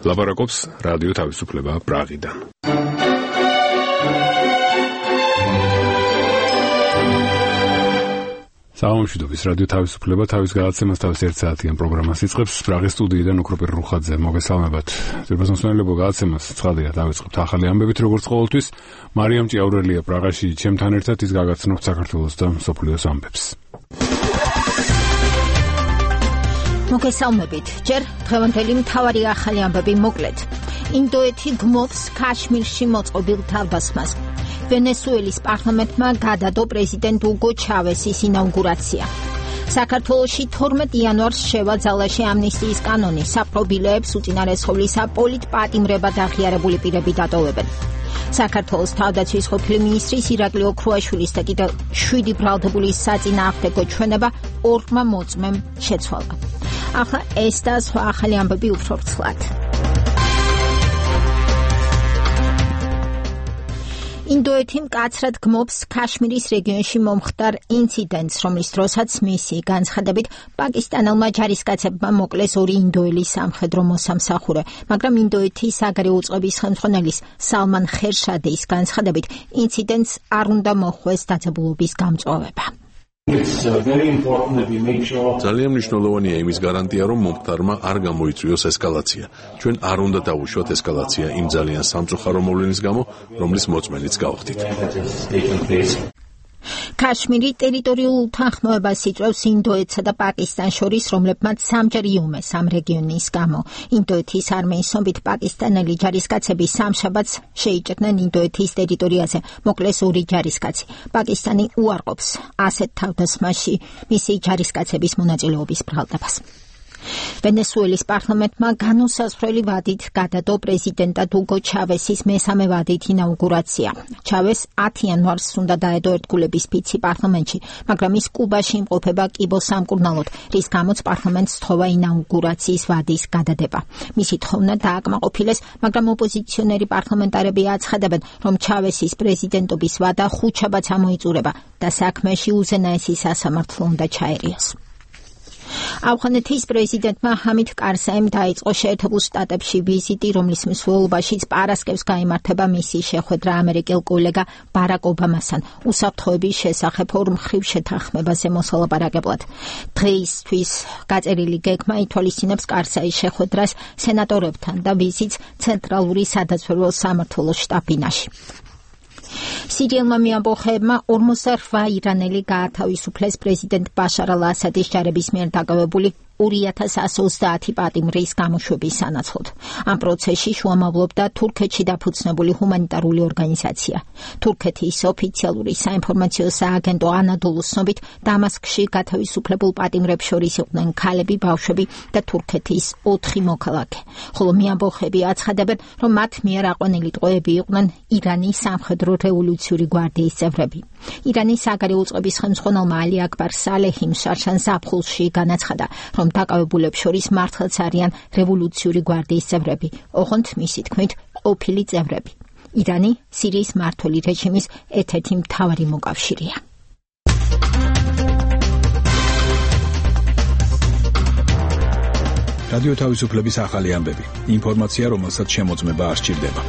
ლაპარაკობს რადიო თავისუფლება პრაღიდან. საამშვიდობის რადიო თავისუფლება თავის გადაცემას თავის 1 საათიან პროგრამას იწყებს. პრაღის სტუდიიდან ოქროპირ რუხაძე, მოგესალმებათ. ძვირფასმოსვენელებო გადაცემას ცხადია დავიწყებთ ახალი ამბებით, როგორც ყოველთვის. მარიამ ჭიაურელია პრაღაში ჩემთან ერთად, ის გაგაცნობთ საქართველოს და მსოფლიოს ამბებს. მოგესალმებით. ჯერ დღევანდელი მთავარი ახალი ამბები მოკლედ. ინდოეთი გმობს ქაშმირში მოწყობილ თავდასხმას. ვენესუელის პარლამენტმა გადადო პრეზიდენტ უგო ჩავესის ინაუგურაცია. საქართველოში 12 იანვარს შევა ძალაში ამნისტიის კანონი, საპრობილეებს უწინარესხოვლისა პოლიტპატიმრებად აღიარებული პირები დატოვებენ. საქართველოს თავდაცვის ყოფილი მინისტრის ირაკლი ოქრუაშვილის და კიდევ 7 ბრალდებულის საწინააღმდეგო ჩვენება 2 მოწმემ შეცვალა. ახლა ეს და სხვა ახალი ამბები უფრო ვრცლად. ინდოეთი მკაცრად გმობს ქაშმირის რეგიონში მომხდარ ინციდენტს, რომლის დროსაც მისი განცხადებით პაკისტანელმა ჯარისკაცებმა მოკლეს 2 ინდოელი სამხედრო მოსამსახურე, მაგრამ ინდოეთის საგარეო უწყების ხელმძღვანელის სალმან ხერშადის განცხადებით ინციდენტს არ უნდა მოხვდეს დაძაბულობის გამწვავება. ძალიან მნიშვნელოვანია იმის გარანტია, რომ მომხდარმა არ გამოიწვიოს ესკალაცია. ჩვენ არ უნდა დავუშვათ ესკალაცია იმ ძალიან სამწუხარო მოვლენის გამო, რომლის მოწმენიც გავხდით. ქაშმირი ტერიტორიულ უთანხმოებას იწვევს ინდოეთსა და პაკისტანს შორის, რომლებმაც სამჯერ იომეს ამ რეგიონის გამო. ინდოეთის არმიის ომით პაკისტანელი ჯარისკაცები სამშაბათს შეიჭრნენ ინდოეთის ტერიტორიაზე, მოკლეს 2 ჯარისკაცი. პაკისტანი უარყოფს ასეთ თავდასხმაში მისი ჯარისკაცების მონაწილეობის ბრალდებას. ვენესუელის პარლამენტმა განუსაზღვრელი ვადით გადადო პრეზიდენტად უგო ჩავესის მესამე ვადით ინაუგურაცია. ჩავეს 10 იანვარს უნდა დაედო ერთგულების ფიცი პარლამენტში, მაგრამ ის კუბაში იმყოფება კიბოს სამკურნალოდ, რის გამოც პარლამენტს სთხოვა ინაუგურაციის ვადის გადადება. მისი თხოვნა დააკმაყოფილეს, მაგრამ ოპოზიციონერი პარლამენტარები აცხადებენ, რომ ჩავესის პრეზიდენტობის ვადა ხუთშაბათს ამოიწურება და საქმეში უზენაესი სასამართლო უნდა ჩაერიოს. ავღანეთის პრეზიდენტმა ჰამიდ კარზაიმ დაიწყო შეერთებულ შტატებში ვიზიტი, რომლის მსვლელობაშიც პარასკევს გაიმართება მისი შეხვედრა ამერიკელ კოლეგა ბარაკ ობამასთან უსაფრთხოების შესახებ 2 მხრივ შეთანხმებაზე მოსალაპარაკებლად. დღეისთვის გაწერილი გეგმა ითვალისწინებს კარზაის შეხვედრას სენატორებთან და ვიზიტს ცენტრალური სადაზვერვო სამმართველოს შტაბ-ბინაში. სირიელმა მეამბოხეებმა 48 ირანელი გაათავისუფლეს პრეზიდენტ ბაშარ ალ-ასადის ჯარების მიერ დაკავებული 2130 პატიმრის გამოშვების სანაცვლოდ. ამ პროცესში შუამავლობდა თურქეთში დაფუძნებული ჰუმანიტარული ორგანიზაცია. თურქეთის ოფიციალური საინფორმაციო სააგენტო ანადოლუს ცნობით, დამასკში გათავისუფლებულ პატიმრებს შორის იყვნენ ქალები, ბავშვები და თურქეთის 4 მოქალაქე. ხოლო მეამბოხეები აცხადებენ, რომ მათ მიერ აყვანილი ტყვეები იყვნენ ირანის სამხედრო რევოლუციური გვარდიის წევრები. ირანის საგარეო უწყების ხელმძღვანელმა ალი აკბარ სალეჰიმ შარშან ზაფხულში განაცხადა, რომ დაკავებულებს შორის მართლაც არიან რევოლუციური გვარდიის წევრები, ოღონდ მისი თქმით ყოფილი წევრები. ირანი სირიის მმართველი რეჟიმის ერთ-ერთი მთავარი მოკავშირეა. რადიო თავისუფლების ახალი ამბები. ინფორმაცია, რომელსაც შემოწმება არ სჭირდება.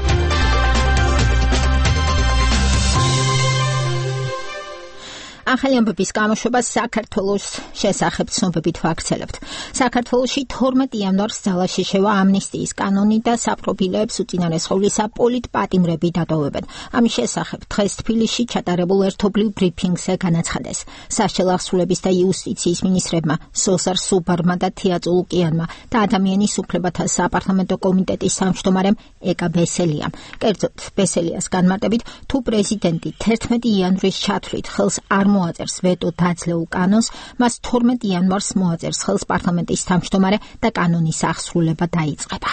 ახალი ამბების გამოშვება საქართველოს შესახებ ცნობებით ვაქცელებთ. საქართველოში 12 იანვარს ძალაში შევა ამნისტიის კანონი და საპრობილეებს უწინარესხოვლისა პოლიტპატიმრები დატოვებენ. ამის შესახებ დღეს თბილისში ჩატარებულ ერთობლივ ბრიფინგზე განაცხადეს სასჯელახსრულების და იუსტიციის მინისტრებმა სოზარ სუბარმა და თია წულუკიანმა და ადამიანის უფლებათა საპარლამენტო კომიტეტის თავმჯდომარემ ეკა ბესელიამ. კერძოდ ბესელიას განმარტებით, თუ პრეზიდენტი 11 იანვრის ჩათვლით ხელს არ მოაწერს ვეტო დაძლეულ კანონს, მას 12 იანვარს მოაწერს ხელს პარლამენტის თავმჯდომარე და კანონის აღსრულება დაიწყება.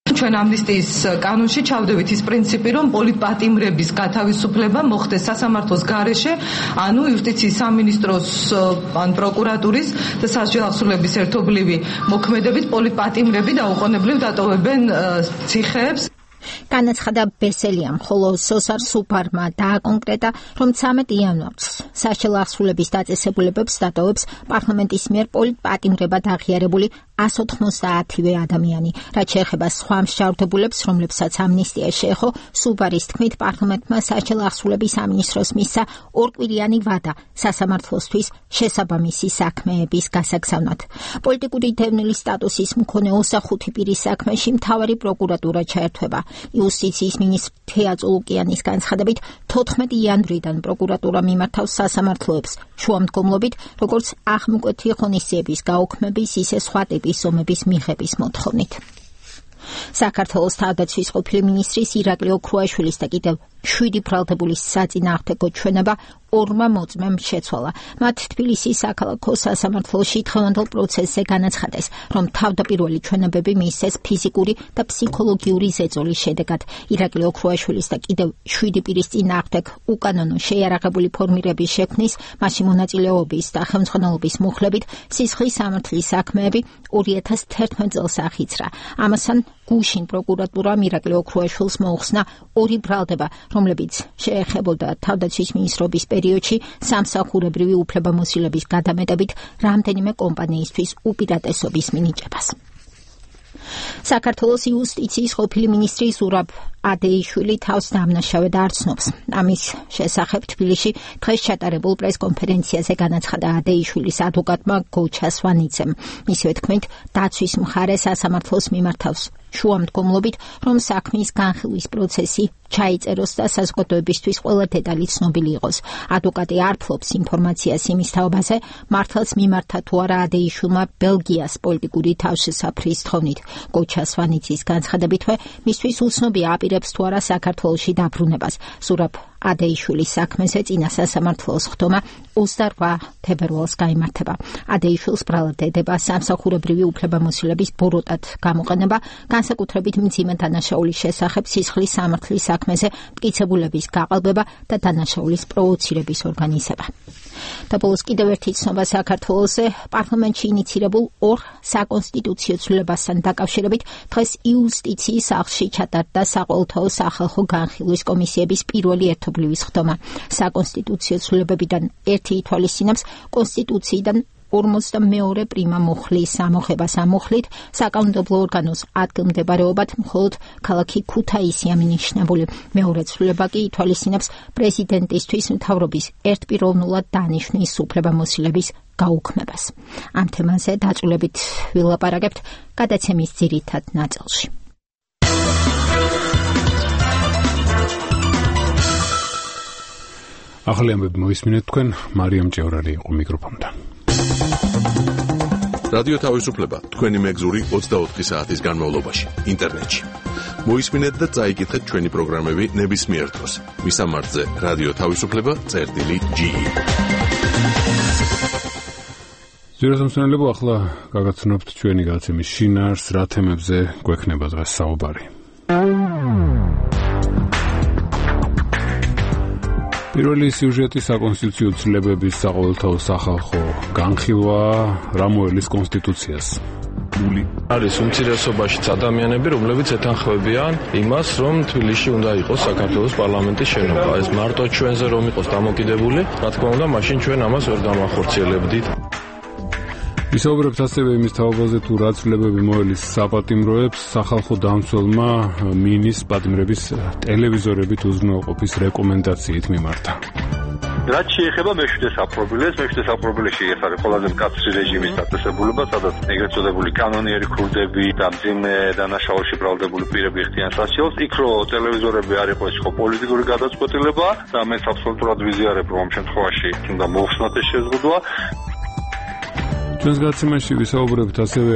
ჩვენ ამნისტიის კანონში ჩავდებით ის პრინციპი, რომ პოლიტპატიმრების გათავისუფლება მოხდეს სასამართლოს გარეშე, ანუ იუსტიციის სამინისტროს ან პროკურატურის და სასჯელახსრულების ერთობლივი მოქმედებით პოლიტპატიმრები დაუყოვნებლივ დატოვებენ ციხეებს. განაცხადა ბესელიამ, ხოლო სოსარ სუპარმა დააკონკრეტა, რომ 13 იანვარს საშუალო აღსრულების დაწესებულებებს დატოვებს პარლამენტის მიერ პოლიტპატიმრებად აღიარებული 190-ვე ადამიანი, რაც შეეხება სხვა მსჯავრდებულებს, რომლებსაც ამნისტია შეეხო. სუპარის თქმით, პარლამენტმა საშუალო აღსრულების სამინისტროს მისცა ორკვირიანი ვადა სასამართლოსთვის შესაბამისი საქმეების გასაგზავნად. პოლიტიკური დევნილის სტატუსის მქონე 25 პირის საქმეში მთავარი პროკურატურა ჩაერთვება. იუსტიციის მინისტრ თეა წულუკიანის განცხადებით, 14 იანვრიდან პროკურატურა მიმართავს სასამართლოებს შუამდგომლობით, როგორც აღმკვეთი ღონისძიების გაუქმების, ისე სხვა ტიპის ომების მიღების მოთხოვნით. საქართველოს თავდაცვის ყოფილი მინისტრის ირაკლი ოქრუაშვილის და კიდევ 7 ბრალდებულის საწინააღმდეგო ჩვენება 2 მოწმემ შეცვალა. მათ თბილისის საქალაქო სასამართლოში დღევანდელ პროცესზე განაცხადეს, რომ თავდაპირველი ჩვენებები მიისცეს ფიზიკური და ფსიქოლოგიური ზეწოლის შედეგად. ირაკლი ოქრუაშვილის და კიდევ 7 პირის წინააღმდეგ უკანონო შეიარაღებული ფორმირების შექმნის, მასში მონაწილეობის და ხელმძღვანელობის მუხლებით სისხლის სამართლის საქმეები 2011 წელს აღიძრა. ამასთან გუშინ პროკურატურამ ირაკლი ოქრუაშვილს მოუხსნა 2 ბრალდება, რომლებიც შეეხებოდა თავდაცვის მინისტრობის პერიოდში სამსახურებრივი უფლებამოსილების გადამეტებით რამდენიმე კომპანიისთვის უპირატესობის მინიჭებას. საქართველოს იუსტიციის ყოფილი მინისტრი ზურაბ ადეიშვილი თავს დამნაშავედ არ ცნობს. ამის შესახებ თბილისში დღეს ჩატარებულ პრესკონფერენციაზე განაცხადა ადეიშვილის ადვოკატმა გოჩა სვანიძემ. მისივე თქმით, დაცვის მხარე სასამართლოს მიმართავს შუამდგომლობით, რომ საქმის განხილვის პროცესი ჩაიწეროს და საზოგადოებისთვის ყველა დეტალი ცნობილი იყოს. ადვოკატი არ ფლობს ინფორმაციას იმის თაობაზე, მართლაც მიმართა თუ არა ადეიშვილმა ბელგიას პოლიტიკური თავშესაფრის თხოვნით. გოჩა სვანიძის განცხადებითვე, მისთვის უცნობია აპირებს თუ არა საქართველოში დაბრუნებას. ზურაბ ადეიშვილის საქმეზე წინა სასამართლოს ხდომა 28 თებერვალს გაიმართება. ადეიშვილს ბრალად ედება სამსახურებრივი უფლებამოსილების ბოროტად გამოყენება, განსაკუთრებით მძიმე დანაშაულის შესახებ სისხლის სამართლის საქმეზე მტკიცებულების გაყალბება და დანაშაულის პროვოცირების ორგანიზება. და ბოლოს კიდევ ერთი ცნობა საქართველოსზე, პარლამენტში ინიცირებულ 2 საკონსტიტუციო ცვლილებასთან დაკავშირებით დღეს იუსტიციის სახლში ჩატარდა საყოველთაო სახალხო განხილვის კომისიების პირველი ერთობლივი ხდომა. საკონსტიტუციო ცვლილებებიდან ერთი ითვალისწინებს კონსტიტუციიდან 42 პრიმა მუხლის ამოღებას. ამ მუხლით საკანონმდებლო ორგანოს ადგილმდებარეობად მხოლოდ ქალაქი ქუთაისი ამინიშნებული. მეორე ცვლილება კი ითვალისწინებს პრეზიდენტისთვის მთავრობის ერთპიროვნულად დანიშვნის უფლებამოსილების გაუქმებას. ამ თემაზე დაწვრილებით ვილაპარაკებთ გადაცემის ძირითად ნაწილში. ახალი ამბები მოისმინეთ თქვენ, მარიამ ჭევრარი იყო მიკროფონთან. რადიო თავისუფლება თქვენი მეგზური 24 საათის განმავლობაში ინტერნეტში. მოისმინეთ და წაიკითხეთ ჩვენი პროგრამები ნებისმიერ დროს. მისამართზე რადიო თავისუფლება.ge. ზიროსამსონელებო, ახლა გაგაცნობთ ჩვენი გადაცემის შინაარსს, რა თემებზე გვექნება დღეს საუბარი. პირველი სიუჟეტი საკონსტიტუციო ცვლილებების საყოველთაო სახალხო განხილვა რა მოელის კონსტიტუციას. არის უმცირესობაშიც ადამიანები, რომლებიც ეთანხმებიან იმას, რომ თბილისში უნდა იყოს საქართველოს პარლამენტის შენობა. ეს მარტო ჩვენზე რომ იყოს დამოკიდებული, რა თქმა უნდა, მაშინ ჩვენ ამას ვერ გამახორციელებდით. ვისაუბრებთ ასევე იმის თაობაზე, თუ რა ცვლილებები მოელის საპატიმროებს სახალხო დამცველმა მინის პატიმრების ტელევიზორებით უზრუნველყოფის რეკომენდაციით მიმართა. რაც შეეხება მეშვიდე საპრობილეს, მეშვიდე საპრობილეში ეს არის ყველაზე მკაცრი რეჟიმის დაწესებულება, სადაც ეგრეთ წოდებული კანონიერი ქურდები და მძიმე დანაშაულში ბრალდებული პირები ხდიან სასჯელს. იქ რო ტელევიზორები არ იყო, ეს ხო პოლიტიკური გადაწყვეტილება და მეც აბსოლუტურად ვიზიარებ, რომ ამ შემთხვევაში უნდა მოხსნათ ეს შეზღუდვა. ჩვენს გადაცემაში ვისაუბრებთ ასევე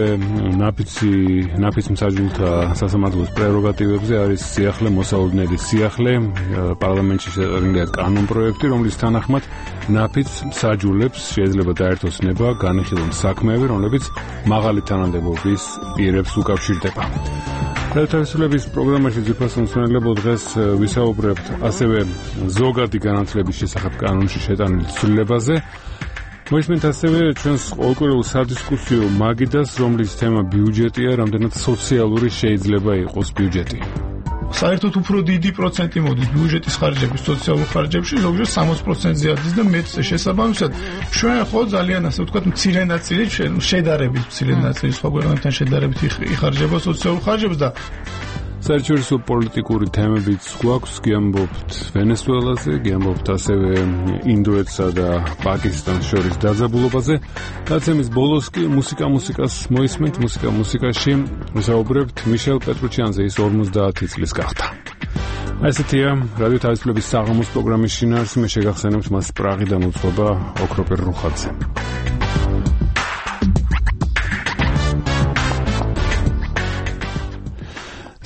ნაფიც მსაჯულთა სასამართლოს პრეროგატივებზე. არის სიახლე, მოსალოდნელი სიახლე, პარლამენტში შეწყვეტილია კანონპროექტი, რომლის თანახმად ნაფიც მსაჯულებს შეიძლება დაერთოს ნება განიხილონ საქმეები, რომლებიც მაღალი თანამდებობის პირებს უკავშირდება. რადიოთავისუფლების პროგრამაში ძვირფას მომსმენელებო, დღეს ვისაუბრებთ ასევე ზოგადი განათლების შესახებ კანონში შეტანილ ცვლილებაზე. მოისმენთ ასევე ჩვენს ყოველკვირეულ სადისკუსიო მაგიდას, რომლის თემა ბიუჯეტია, რამდენად სოციალური შეიძლება იყოს ბიუჯეტი. საერთოდ უფრო დიდი პროცენტი მოდის ბიუჯეტის ხარჯების, სოციალურ ხარჯებში, ზოგჯერ 60%-ზე არის და მეც შესაბამისად ჩვენ ხო ძალიან ასე ვთქვათ მცირე ნაწილი შედარებით მცირე ნაწილი სხვა ქვეყნებთან შედარებით იხარჯება სოციალურ ხარჯებს და საერთაშორისო პოლიტიკური თემებიც გვაქვს, გიამბობთ ვენესუელაზე, გიამბობთ ასევე ინდოეთსა და პაკისტანს შორის დაძაბულობაზე. დაცემის ბოლოს კი მუსიკას მოისმენთ, მუსიკაში ვისაუბრებთ მიშელ პეტრუჩიანზე, ის 50 წლის გახდა. ესეთია რადიო თავისუფლების საღამოს პროგრამის შინაარსი, მე შეგახსენებთ მას პრაღიდან უძღვება ოქროპერ რუხაძე.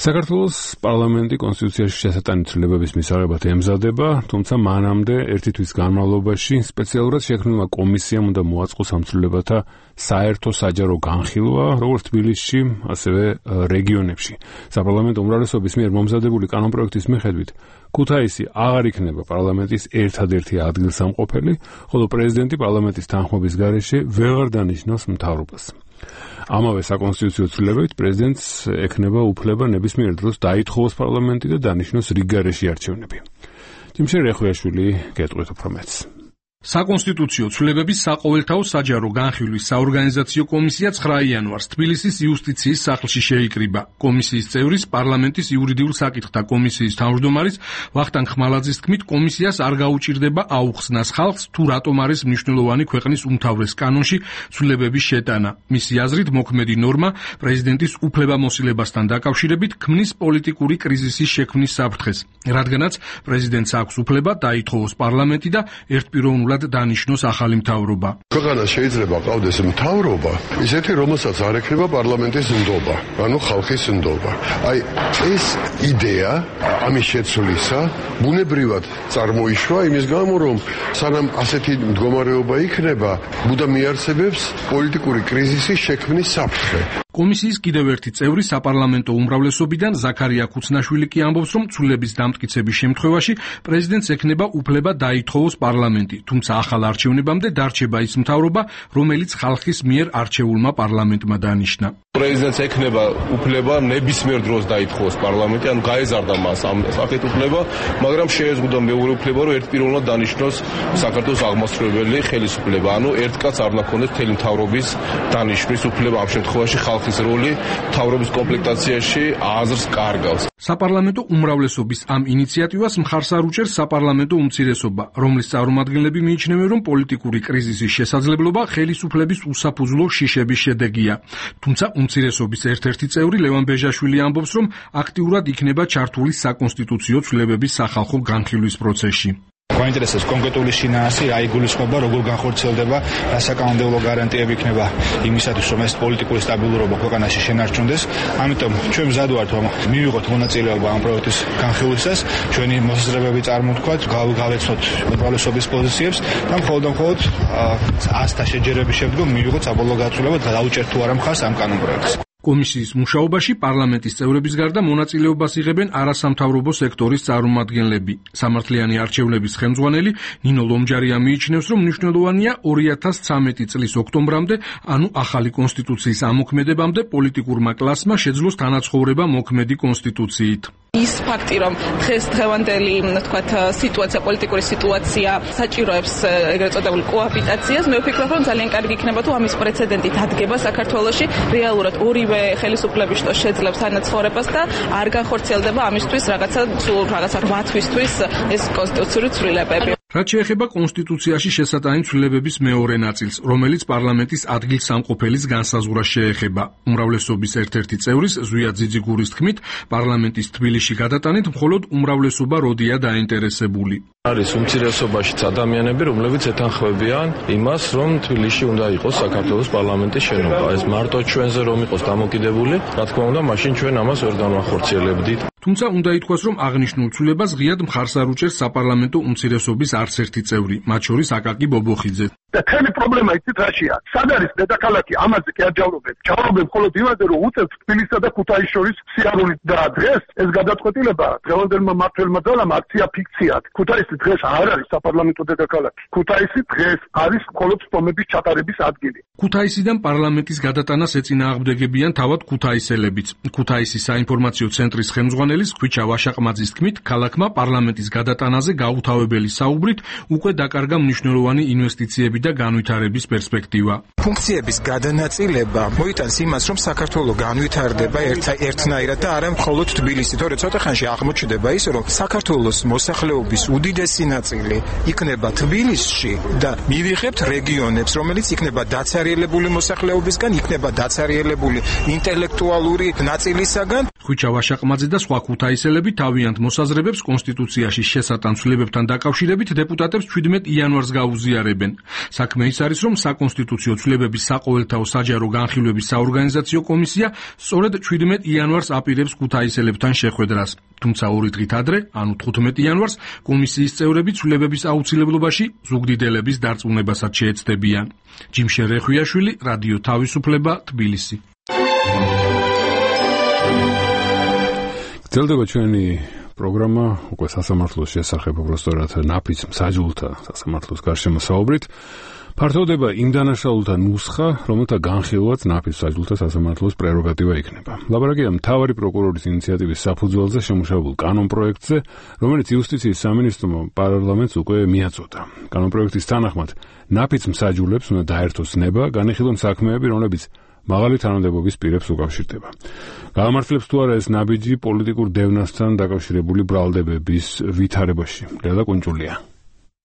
საქართველოს პარლამენტი კონსტიტუციაში შესატანი ცვლილებების მისაღებად ემზადება, თუმცა მანამდე ერთი თვის განმავლობაში სპეციალურად შექმნილმა კომისიამ უნდა მოაწყოს ამ ცვლილებათა საერთო საჯარო განხილვა, როგორც თბილისში, ასევე რეგიონებში. საპარლამენტო უმრავლესობის მიერ მომზადებული კანონპროექტის მიხედვით, ქუთაისი აღარ იქნება პარლამენტის ერთადერთი ადგილსამყოფელი, ხოლო პრეზიდენტი პარლამენტის თანხმობის გარეშე ვეღარ დანიშნავს მთავრობას. ამავე საკონსტიტუციო ცვლილებებით პრეზიდენტს ექნება უფლება ნებისმიერ დროს დაითხოვოს პარლამენტი და დანიშნოს რიგ გარეშე არჩევნები. თიმშე რეხვიაშვილი გეტყვით უფრო მეტს. საკონსტიტუციო ცვლილებების საყოველთაო საჯარო განხილვის საორგანიზაციო კომისია 9 იანვარს თბილისის იუსტიციის სახლში შეიკრიბა. კომისიის წევრის პარლამენტის იურიდიულ საკითხთა კომისიის თავმჯდომარის ვახტანგ ხმალაძის თქმით, კომისიას არ გაუჭირდება აუხსნას ხალხს თუ რატომ არის მნიშვნელოვანი ქვეყნის უმთავრეს კანონში ცვლილებების შეტანა. მისი აზრით, მოქმედი ნორმა პრეზიდენტის უფლებამოსილებასთან დაკავშირებით ქმნის პოლიტიკური კრიზისის შექმნის საფრთხეს, რადგანაც პრეზიდენტს აქვს უფლება დაითხოვოს პარლამენტი და ერთპიროვნულად დანიშნოს ახალი მთავრობა. ქვეყანას შეიძლება ყავდეს მთავრობა, ისეთი რომელსაც არ ექნება პარლამენტის ნდობა, ანუ ხალხის ნდობა. აი ეს იდეა ამის შეცვლისა ბუნებრივად წარმოიშვა იმის გამო, რომ სანამ ასეთი მდგომარეობა იქნება, ბუდა მიარსებებს პოლიტიკური კრიზისის შექმნის საფრთხე. კომისიის კიდევ ერთი წევრი საპარლამენტო უმრავლესობიდან ზაქარია ქუცნაშვილი კი ამბობს, რომ ცვლილების დამტკიცების შემთხვევაში პრეზიდენტს ექნება უფლება დაითხოვოს პარლამენტი, თუმცა ახალ არჩევნებამდე დარჩება ის მთავრობა, რომელიც ხალხის მიერ არჩეულმა პარლამენტმა დანიშნა. პრეზიდენტს ექნება უფლება ნებისმიერ დროს დაითხოვოს პარლამენტი, ანუ გაეზარდა მას ამ საკეთ უფლება, მაგრამ შეეზღუდა მეორე უფლება, რომ ერთპიროვნულად დანიშნოს საქართველოს აღმასრულებელი ხელისუფლება, ანუ ერთ კაცს არ უნდა ქონდეს მთელი მთავრობის დანიშვნის უფლება. ამ შემთხვევაში ხალხის როლი მთავრობის კომპლექტაციაში აზრს კარგავს. საპარლამენტო უმრავლესობის ამ ინიციატივას მხარს არ უჭერს საპარლამენტო უმცირესობა, რომლის წარმომადგენლები მიიჩნევენ, რომ პოლიტიკური კრიზისის შესაძლებლობა ხელისუფლების უსაფუძვლო შიშების შედეგია. თუმცა უმცირესობის ერთ-ერთი წევრი ლევან ბეჟაშვილი ამბობს, რომ აქტიურად იქნება ჩართული საკონსტიტუციო ცვლილებების სახალხო განხილვის პროცესში. გვაინტერესებს კონკრეტული შინაარსი, რა იგულისხმება, როგორ განხორციელდება, რა საკანონმდებლო გარანტიები იქნება იმისათვის, რომ ეს პოლიტიკური სტაბილურობა ქვეყანაში შენარჩუნდეს. ამიტომ ჩვენ მზად ვართ, რომ მივიღოთ მონაწილეობა ამ პროექტის განხილვისას, ჩვენი მოსაზრებები წარმოვთქვათ, გავეცნოთ უმრავლესობის პოზიციებს და მხოლოდ 100-თა შეჯერების შემდგომ მივიღოთ საბოლოო გაცვლილება და დაუჭერთ თუ არა მხარს ამ კანონპროექტს. კომისიის მუშაობაში პარლამენტის წევრების გარდა მონაწილეობას იღებენ არასამთავრობო სექტორის წარმომადგენლები. სამართლიანი არჩევნების ხელმძღვანელი ნინო ლომჯარია მიიჩნევს, რომ მნიშვნელოვანია 2013 წლის ოქტომბრამდე, ანუ ახალი კონსტიტუციის ამოქმედებამდე პოლიტიკურმა კლასმა შეძლოს თანაცხოვრება მოქმედი კონსტიტუციით. ის ფაქტი, რომ დღევანდელი, თქვათ, სიტუაცია, პოლიტიკური სიტუაცია საჭიროებს ეგრეთ წოდებული კოაბიტაციას, მე ვფიქრობ, რომ ძალიან კარგი იქნება თუ ამის პრეცედენტი დადგება საქართველოში, რეალურად ორივე ხელისუფლების შტო შეძლებს თანაცხოვრებას და არ განხორციელდება ამისთვის რაღაცა 8 თვისთვის ეს კონსტიტუციური ცვლილებები. რაც შეეხება კონსტიტუციაში შესატანი ცვლილებების მეორე ნაწილს, რომელიც პარლამენტის ადგილსამყოფელის განსაზღვრას შეეხება. უმრავლესობის ერთ-ერთი წევრის ზვია ძიძიგურის თქმით, პარლამენტის თბილისში გადატანით მხოლოდ უმრავლესობა როდია დაინტერესებული. არის უმცირესობაშიც ადამიანები, რომლებიც ეთანხმებიან იმას, რომ თბილისში უნდა იყოს საქართველოს პარლამენტის შენობა. ეს მარტო ჩვენზე რომ იყოს დამოკიდებული, რა თქმა უნდა, მაშინ ჩვენ ამას ვერ განვახორციელებდით. თუმცა უნდა ითქვას, რომ აღნიშნულ ცვლილებას ღიად მხარს არ უჭერს საპარლამენტო უმცირესობის არც ერთი წევრი, მათ შორის აკაკი ბობოხიძე. და თემი პრობლემა იცით რაშია? სად არის დედაქალაქი? ამაზე კი არ ჯავრობენ. ჯავრობენ მხოლოდ იმაზე, რომ უწევთ თბილისსა და ქუთაისის შორის სიარული და დღეს ეს გადაწყვეტილება დღევანდელმა მმართველმა ძალამ აქცია ფიქციად. ქუთაისი დღეს არ არის საპარლამენტო დედაქალაქი. ქუთაისი დღეს არის მხოლოდ სტომების ჩატარების ადგილი. ქუთაისიდან პარლამენტის გადატანას ეწინააღმდეგებიან თავად ქუთაისელებიც. ქუთაისის საინფორმაციო ცენტრის ხელმძღვანელის ხვიჩა ვაშაყმაძის თქმით, ქალაქმა პარლამენტის გადატანაზე გაუთავებელი საუბრით უკვე დაკარგა მნიშვნელოვანი ინვესტიციები და განვითარების პერსპექტივა. ფუნქციების გადანაწილება მოიტანს იმას, რომ საქართველოს განვითარდება ერთნაირად და არა მხოლოდ თბილისი, თორე ცოტა ხანში აღმოჩნდება ის, რომ საქართველოს მოსახლეობის უდიდესი ნაწილი იქნება თბილისში და მივიღებთ რეგიონებს, რომელიც იქნება დაცარიელებული მოსახლეობისგან, იქნება დაცარიელებული ინტელექტუალური ნაწილისაგან. ხვიჩა ვაშაყმაძე და სხვა ქუთაისელები თავიანთ მოსაზრებებს კონსტიტუციაში შესატან ცვლილებებთან დაკავშირებით დეპუტატებს 17 იანვარს გაუზიარებენ. საქმე ის არის, რომ საკონსტიტუციო ცვლილებების საყოველთაო საჯარო განხილვების საორგანიზაციო კომისია სწორედ 17 იანვარს აპირებს ქუთაისელებთან შეხვედრას. თუმცა 2 დღით ადრე, ანუ 15 იანვარს, კომისიის წევრები ცვლილებების აუცილებლობაში ზუგდიდელების დარწმუნებასაც შეეცდებიან. ჯიმშე რეხვიაშვილი, რადიო თავისუფლება, თბილისი. გრძელდება ჩვენი პროგრამა უკვე სასამართლოს შესახებ, უბრალოდ ნაფიც მსაჯულთა სასამართლოს გარშემო საუბრით. ფართოვდება იმ დანაშაულთა ნუსხა, რომელთა განხილვაც ნაფიც მსაჯულთა სასამართლოს პრეროგატივა იქნება. ლაპარაკია მთავარი პროკურორის ინიციატივის საფუძველზე შემუშავებულ კანონპროექტზე, რომელიც იუსტიციის სამინისტრომ პარლამენტს უკვე მიაწოდა. კანონპროექტის თანახმად, ნაფიც მსაჯულებს უნდა დაერთოს ნება, განიხილონ საქმეები, რომლებიც მაღალი თანამდებობის პირებს უკავშირდება. გაამართლებს თუ არა ეს ნაბიჯი პოლიტიკურ დევნასთან დაკავშირებული ბრალდებების ვითარებაში. ლელა კუნჭულია.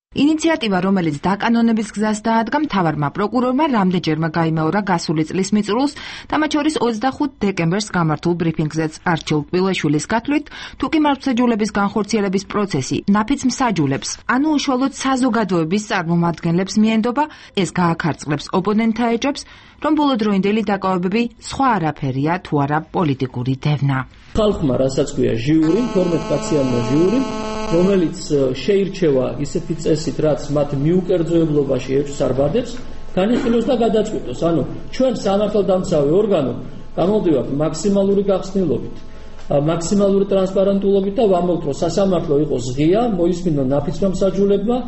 ინიციატივა, რომელიც დაკანონების გზას დაადგა, მთავარმა პროკურორმა რამდენჯერმე გაიმეორა გასული წლის მიწურულს და მათ შორის 25 დეკემბერს გამართულ ბრიფინგზეც არჩილ კბილაშვილის გათვლით, თუ კი მართლმსაჯულების განხორციელების პროცესი ნაფიც მსაჯულებს, ანუ უშუალოდ საზოგადოების წარმომადგენლებს მიენდობა, ეს გააქარწყლებს ოპონენტთა ეჭვებს, რომ ბოლოდროინდელი დაკავებები სხვა არაფერია თუ არა პოლიტიკური დევნა. ხალხმა რასაც ქვია ჟიური, 12 კაციანმა ჟიური, რომელიც შეირჩევა ისეთი წესით, რაც მათ მიუკერძოებლობაში ეჭვს არ ბადებს, განიხილოს და გადაწყვიტოს. ანუ ჩვენ სამართალდამცავი ორგანო გამოვდივართ მაქსიმალური გახსნილობით, მაქსიმალური ტრანსპარენტულობით და ვამბობთ, რომ სასამართლო იყოს ღია, მოისმინონ ნაფიცმა მსაჯულებმა.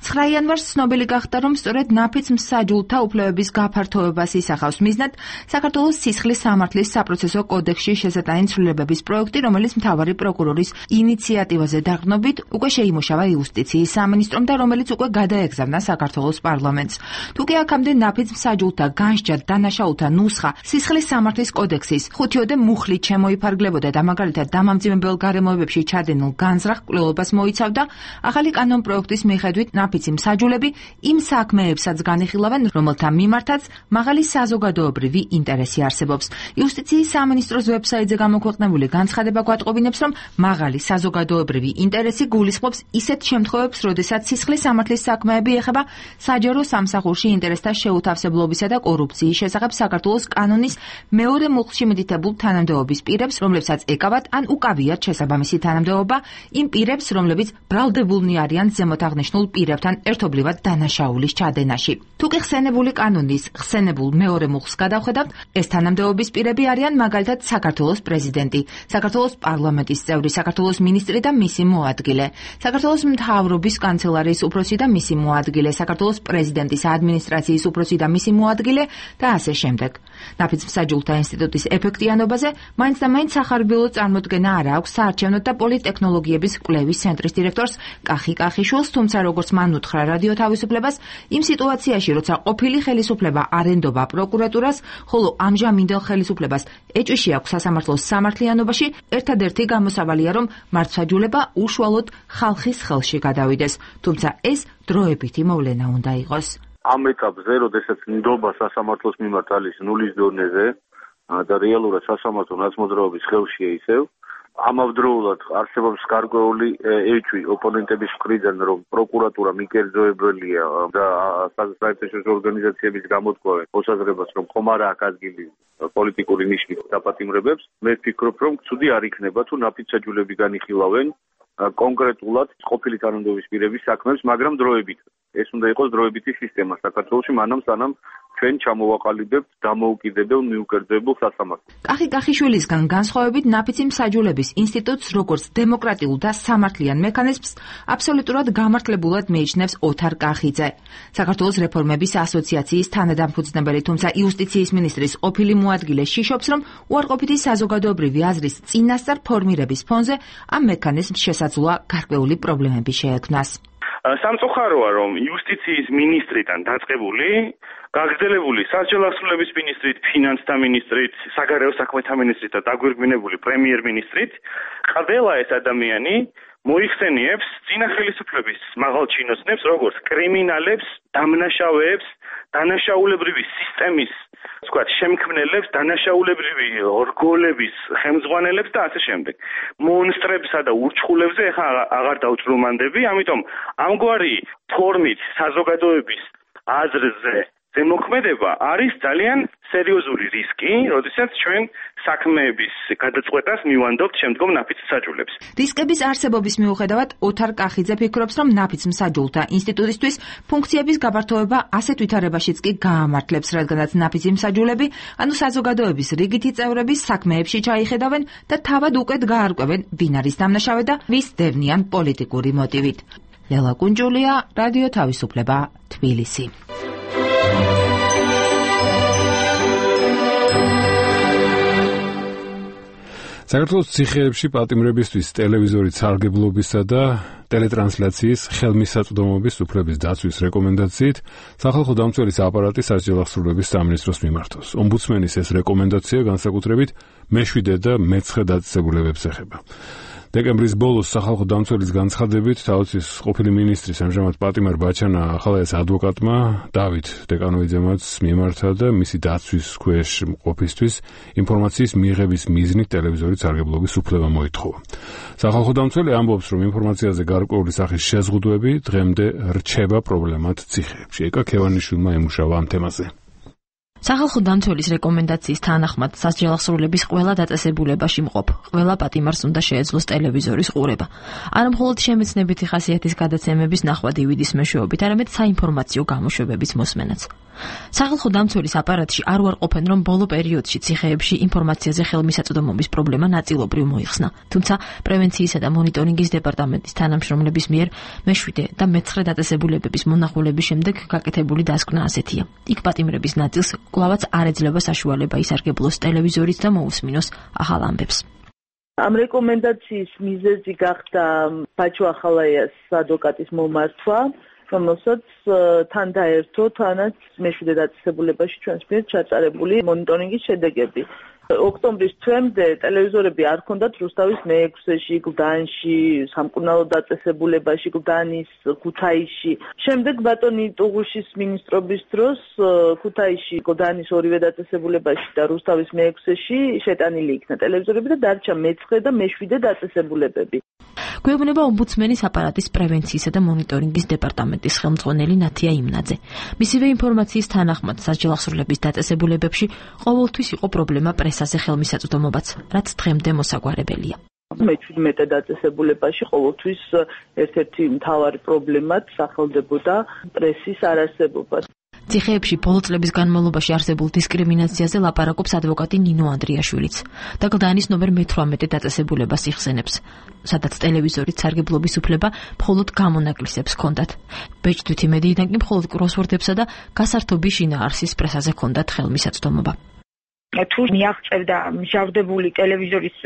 9 იანვარს ცნობილი გახდა, რომ სწორედ ნაფიც მსაჯულთა უფლებების გაფართოებას ისახავს მიზნად საქართველოს სისხლის სამართლის საპროცესო კოდექსში შესატანი ცვლილებების პროექტი, რომელიც მთავარი პროკურორის ინიციატივაზე დაყრდნობით უკვე შეიმუშავა იუსტიციის სამინისტრომ და რომელიც უკვე გადაეგზავნა საქართველოს პარლამენტს. თუკი აქამდე ნაფიც მსაჯულთა განსჯა დანაშაულთა ნუსხა სისხლის სამართლის კოდექსის 5-ოდე მუხლით შემოიფარგლებოდა და მაგალითად დამამძიმებელ გარემოებებში ჩადენილ განზრახ კვლევობას მოიცავდა, ახალი კანონპროექტის მიხედვით ნაფიცი მსაჯულები იმ საქმეებსაც განიხილავენ, რომელთა მიმართაც მაღალი საზოგადოებრივი ინტერესი არსებობს. იუსტიციის სამინისტროს ვებსაიტზე გამოქვეყნებული განცხადება გვატყობინებს, რომ მაღალი საზოგადოებრივი ინტერესი გულისხმობს ისეთ შემთხვევებს, როდესაც სისხლის სამართლის საქმეები ეხება საჯარო სამსახურში ინტერესთა შეუთავსებლობისა და კორუფციის შესახებ საქართველოს კანონის მეორე მუხლში მითითებულ თანამდებობის პირებს, რომლებსაც ეკავათ ან უკავიათ შესაბამისი თანამდებობა იმ პირებს, რომლებიც ბრალდებულნი არიან ზემოთ აღნიშნულ პირებთან ერთობლივად დანაშაულის ჩადენაში. თუკი ხსენებული კანონის ხსენებულ მეორე მუხლს გადავხედავთ, ეს თანამდებობის პირები არიან მაგალითად საქართველოს პრეზიდენტი, საქართველოს პარლამენტის წევრი, საქართველოს მინისტრი და მისი მოადგილე, საქართველოს მთავრობის კანცელარიის უფროსი და მისი მოადგილე, საქართველოს პრეზიდენტის ადმინისტრაციის უფროსი და მისი მოადგილე და ასე შემდეგ. ნაფიც მსაჯულთა ინსტიტუტის ეფექტიანობაზე მაინც და მაინც სახარბილო წარმოდგენა არ აქვს საარჩევნო და პოლიტექნოლოგიების კვლევის ცენტრის დირექტორს კახი კახიშვილს, თუმცა როგორც მან უთხრა რადიო თავისუფლებას, იმ სიტუაციაში, როცა ყოფილი ხელისუფლება არენდობა პროკურატურას, ხოლო ამჟამინდელ ხელისუფლებას ეჭვში აქვს სასამართლოს სამართლიანობაში, ერთადერთი გამოსავალია, რომ მართლმსაჯულება უშუალოდ ხალხის ხელში გადავიდეს, თუმცა ეს დროებითი მოვლენა უნდა იყოს. ამ ეტაპზე, როდესაც ნდობა სასამართლოს მიმართ არის ნულის დონეზე და რეალურად სასამართლო ნაცმოძრაობის ხელშია ისევ, ამავდროულად არსებობს გარკვეული ეჭვი ოპონენტების მხრიდან, რომ პროკურატურა მიკერძოებელია და საერთაშორისო ორგანიზაციების გამოთქვამენ მოსაზრებას, რომ ხომ არა აქვს ადგილი პოლიტიკური ნიშნის დაპატიმრებებს. მე ვფიქრობ, რომ ცუდი არ იქნება თუ ნაფიც მსაჯულები განიხილავენ კონკრეტულად ყოფილი თანამდებობის პირების საქმეებს, მაგრამ დროებით. ეს უნდა იყოს დროებითი სისტემა საქართველოში, მანამ სანამ ჩვენ ჩამოვაყალიბებთ დამოუკიდებელ მიუკერძოებულ სასამართლოს. კახიშვილისგან განსხვავებით ნაფიცი მსაჯულების ინსტიტუტს როგორც დემოკრატიულ და სამართლიან მექანიზმს აბსოლუტურად გამართლებულად მიიჩნევს ოთარ კახიძე. საქართველოს რეფორმების ასოციაციის თანადამფუძნებელი, თუმცა იუსტიციის მინისტრის ყოფილი მოადგილე შიშობს, რომ უარყოფითი საზოგადოებრივი აზრის წინასწარ ფორმირების ფონზე ამ მექანიზმს შესაძლოა გარკვეული პრობლემები შეექმნას. სამწუხაროა, რომ იუსტიციის მინისტრიდან დაწყებული, გაგრძელებული სასჯელ ასრულების მინისტრით, ფინანსთა მინისტრით, საგარეო საქმეთა მინისტრით და დაგვირგვინებული პრემიერ-მინისტრით, ყველა ეს ადამიანი მოიხსენიებს წინა ხელისუფლების მაღალ ჩინოსნებს, როგორც კრიმინალებს, დამნაშავეებს, დანაშაულებრივი სისტემის, თქვათ, შემქმნელებს, დანაშაულებრივი ორგოლების ხელმძღვანელებს და ასე შემდეგ. მონსტრებსა და ურჩხულებზე ეხლა აღარ დავჭრომანდები, ამიტომ ამგვარი ფორმით საზოგადოების აზრზე ზემოქმედება არის ძალიან სერიოზული რისკი, როდესაც ჩვენ საქმეების გადაწყვეტას მივანდობთ შემდგომ ნაფიც მსაჯულებს. რისკების არსებობის მიუხედავად, ოთარ კახიძე ფიქრობს, რომ ნაფიც მსაჯულთა ინსტიტუტისთვის ფუნქციების გაფართოება ასეთ ვითარებაშიც კი გაამართლებს, რადგანაც ნაფიცი მსაჯულები, ანუ საზოგადოების რიგითი წევრები საქმეებში ჩაიხედავენ და თავად უკეთ გაარკვევენ, ვინ არის დამნაშავე და ვის დევნიან პოლიტიკური მოტივით. ლელა კუნჯულია, რადიო თავისუფლება, თბილისი. საქართველოს ციხეებში პატიმრებისთვის ტელევიზორის სარგებლობისა და ტელეტრანსლაციის ხელმისაწვდომობის უფლების დაცვის რეკომენდაციით სახალხო დამცველის აპარატი სასჯელ აღსრულების სამინისტროს მიმართავს. ომბუდსმენის ეს რეკომენდაცია განსაკუთრებით მე-7 და მე-9 დაწესებულებებს ეხება. დეკემბრის ბოლოს სახალხო დამცველის განცხადებით თავის ყოფილი მინისტრის ამჟამად პატიმარ ბაჩანა ახალაეს ადვოკატმა დავით დეკანოიძემაც მიმართა და მისი დაცვის ქვეშ ყოფისთვის ინფორმაციის მიღების მიზნით ტელევიზორის სარგებლობის უფლება მოითხოვა. სახალხო დამცველი ამბობს, რომ ინფორმაციაზე გარკვეული სახის შეზღუდვები დღემდე რჩება პრობლემად ციხეებში. ეკა ქევანიშვილმა ემუშავა ამ თემაზე. სახალხო დამცველის რეკომენდაციის თანახმად სასჯელ აღსრულების ყველა დაწესებულებაში მყოფ ყველა პატიმარს უნდა შეეძლოს ტელევიზორის ყურება. არა მხოლოდ შემეცნებითი ხასიათის გადაცემების ნახვა DVD-ის მეშვეობით, არამედ საინფორმაციო გამოშვებების მოსმენაც. სახალხო დამცველის აპარატში არ უარყოფენ, რომ ბოლო პერიოდში ციხეებში ინფორმაციაზე ხელმისაწვდომობის პრობლემა ნაწილობრივ მოიხსნა. თუმცა პრევენციისა და მონიტორინგის დეპარტამენტის თანამშრომლების მიერ მე-7 და მე-9 დაწესებულებების მონახულების შემდეგ გაკეთებული დასკვნა ასეთია. იქ პატიმრების ნაწილს კვლავაც არ ეძლევა საშუალება ისარგებლოს ტელევიზორით და მოусმინოს ახალ ამბებს. ამ რეკომენდაციის მიზეზი გახდა ბაჩო ახალაიას ადვოკატის მომართვა, რომელსაც თან დაერთო თანაც მე-7 დაწესებულებაში ჩვენს მიერ ჩატარებული მონიტორინგის შედეგები. ოქტომბრის თვემდე ტელევიზორები არ ჰქონდათ რუსთავის მე-6-ში, გლდანში, სამკურნალო დაწესებულებაში, გლდანის, ქუთაისში. შემდეგ ბატონი ტუღუშის მინისტრობის დროს ქუთაისში, გლდანის ორივე დაწესებულებაში და რუსთავის მე-6-ში შეტანილი იქნა ტელევიზორები და დარჩა მე-9 და მე-7 დაწესებულებები. გვეუბნება ომბუდსმენის აპარატის პრევენციისა და მონიტორინგის დეპარტამენტის ხელმძღვანელი ნათია იმნაძე. მისივე ინფორმაციის თანახმად სასჯელ აღსრულების დაწესებულებებში ყოველთვის იყო პრობლემა პრესაზე ხელმისაწვდომობაც, რაც დღემდე მოსაგვარებელია. მე-17 დაწესებულებაში ყოველთვის ერთ-ერთი მთავარი პრობლემად სახელდებოდა პრესის არარსებობა. ციხეებში ბოლო წლების განმავლობაში არსებულ დისკრიმინაციაზე ლაპარაკობს ადვოკატი ნინო ანდრიაშვილიც და გლდანის ნომერ მე-18 დაწესებულებას იხსენებს, სადაც ტელევიზორით სარგებლობის უფლება მხოლოდ გამონაკლისებს ჰქონდათ. ბეჭდვითი მედიიდან კი მხოლოდ კროსვორდებსა და გასართობი შინაარსის პრესაზე ჰქონდათ ხელმისაწვდომობა. თუ მიაღწევდა მჟავდებული ტელევიზორის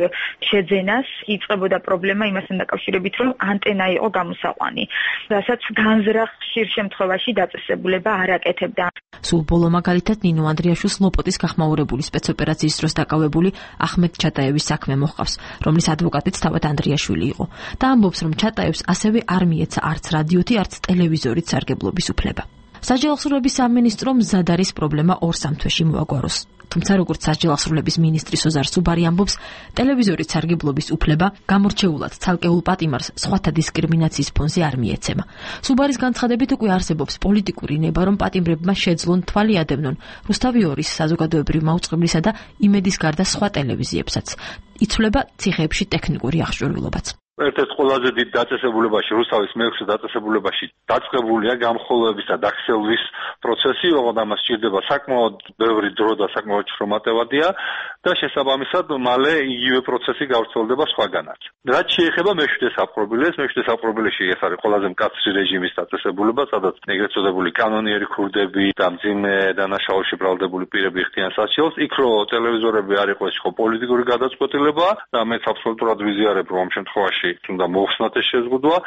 შეძენას, იწყებოდა პრობლემა იმასთან დაკავშირებით, რომ ანტენა იყო გამოსაყვანი, რასაც განზრახ ხშირ შემთხვევაში დაწესებულება არ აკეთებდა. სულ ბოლო მაგალითად ნინო ანდრიაშვილს ლოპოტის გახმაურებული სპეცოპერაციის დროს დაკავებული ახმედ ჩატაევის საქმე მოჰყავს, რომლის ადვოკატიც თავად ანდრიაშვილი იყო და ამბობს, რომ ჩატაევს ასევე არ მიეცა არც რადიოთი, არც ტელევიზორით სარგებლობის უფლება. სასჯელ აღსრულების სამინისტრო მზად არის პრობლემა 2-3 თვეში მოაგვაროს. თუმცა როგორც სასჯელ აღსრულების მინისტრი სოზარ სუბარი ამბობს, ტელევიზორით სარგებლობის უფლება გამორჩეულად ცალკეულ პატიმარს სხვათა დისკრიმინაციის ფონზე არ მიეცემა. სუბარის განცხადებით უკვე არსებობს პოლიტიკური ნება, რომ პატიმრებმა შეძლონ თვალი ადევნონ რუსთავი 2-ის საზოგადოებრივ მაუწყებლისა და იმედის გარდა სხვა ტელევიზიებსაც. იცვლება ციხეებში ტექნიკური აღჭურვილობაც. ერთ-ერთ ყველაზე დიდ დაწესებულებაში, რუსთავის მე-6 დაწესებულებაში დაწყებულია გამხოლოების და დაქსელვის პროცესი, ოღონდ ამას სჭირდება საკმაოდ ბევრი დრო და საკმაოდ შრომატევადია და შესაბამისად მალე იგივე პროცესი გავრცელდება სხვაგანაც. რაც შეეხება მე-7 საპყრობილეს, მე-7 საპყრობილეში ეს არის ყველაზე მკაცრი რეჟიმის დაწესებულება, სადაც ეგრეთ წოდებული კანონიერი ქურდები და მძიმე დანაშაულში ბრალდებული პირები ხდიან სასჯელს, იქ რო ტელევიზორები არ იყო, ეს იყო პოლიტიკური გადაწყვეტილება და მეც აბსოლუტურად ვიზიარებ, რომ ამ შემთხვევაში თუნდა მოხსნათ ეს შეზღუდვა.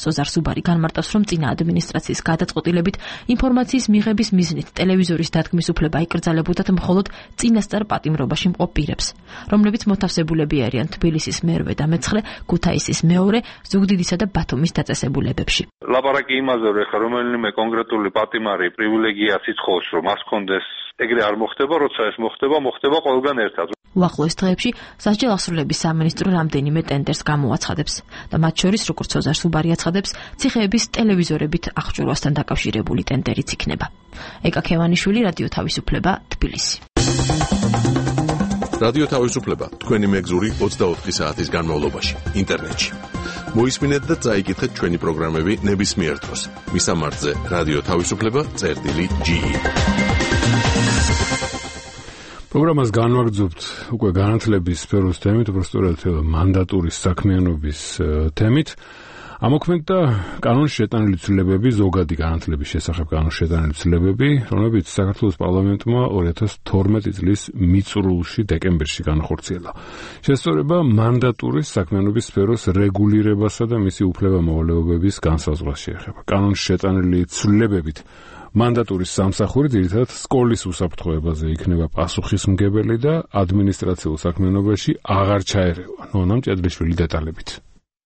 სოზარ სუბარი განმარტავს, რომ წინა ადმინისტრაციის გადაწყვეტილებით ინფორმაციის მიღების მიზნით ტელევიზორის დადგმის უფლება იკრძალებოდათ მხოლოდ წინასწარ პატიმრობაში მყოფ პირებს, რომლებიც მოთავსებულები არიან თბილისის მერვე და მე-9, ქუთაისის მეორე, ზუგდიდისა და ბათუმის დაწესებულებებში. ლაპარაკი იმაზე, რომ ეხლა რომელიმე კონკრეტული პატიმარი პრივილეგიას ითხოვს, რომ მას ჰქონდეს, ეგრე არ მოხდება, როცა ეს მოხდება ყველგან ერთად. უახლოეს დღეებში სასჯელ აღსრულების სამინისტრო რამდენიმე ტენდერს გამოაცხადებს და მათ შორის, როგორც სოზარ სუბარი აცხადებს, ციხეების ტელევიზორებით აღჭურვასთან დაკავშირებული ტენდერიც იქნება. ეკა ქევანიშვილი, რადიო თავისუფლება, თბილისი. რადიო თავისუფლება თქვენი მეგზური 24 საათის განმავლობაში ინტერნეტში. მოისმინეთ და წაიკითხეთ ჩვენი პროგრამები ნებისმიერ დროს. მისამართზე რადიო თავისუფლება.ge. პროგრამას განვაგრძობთ უკვე განათლების სფეროს თემით, უბრალოდ მანდატურის საქმიანობის თემით. ამოქმედდა კანონში შეტანილი ცვლილებები, ზოგადი განათლების შესახებ კანონში შეტანილი ცვლილებები, რომლებიც საქართველოს პარლამენტმა 2012 წლის მიწურულში დეკემბერში განახორციელა. შესწორება მანდატურის საქმიანობის სფეროს რეგულირებასა და მისი უფლება-მოვალეობების განსაზღვრას შეეხება. კანონში შეტანილი ცვლილებებით მანდატურის სამსახური ძირითადად სკოლის უსაფრთხოებაზე იქნება პასუხისმგებელი და ადმინისტრაციულ საქმიანობაში აღარ ჩაერევა. ნონა მჭედლიშვილი დეტალებით.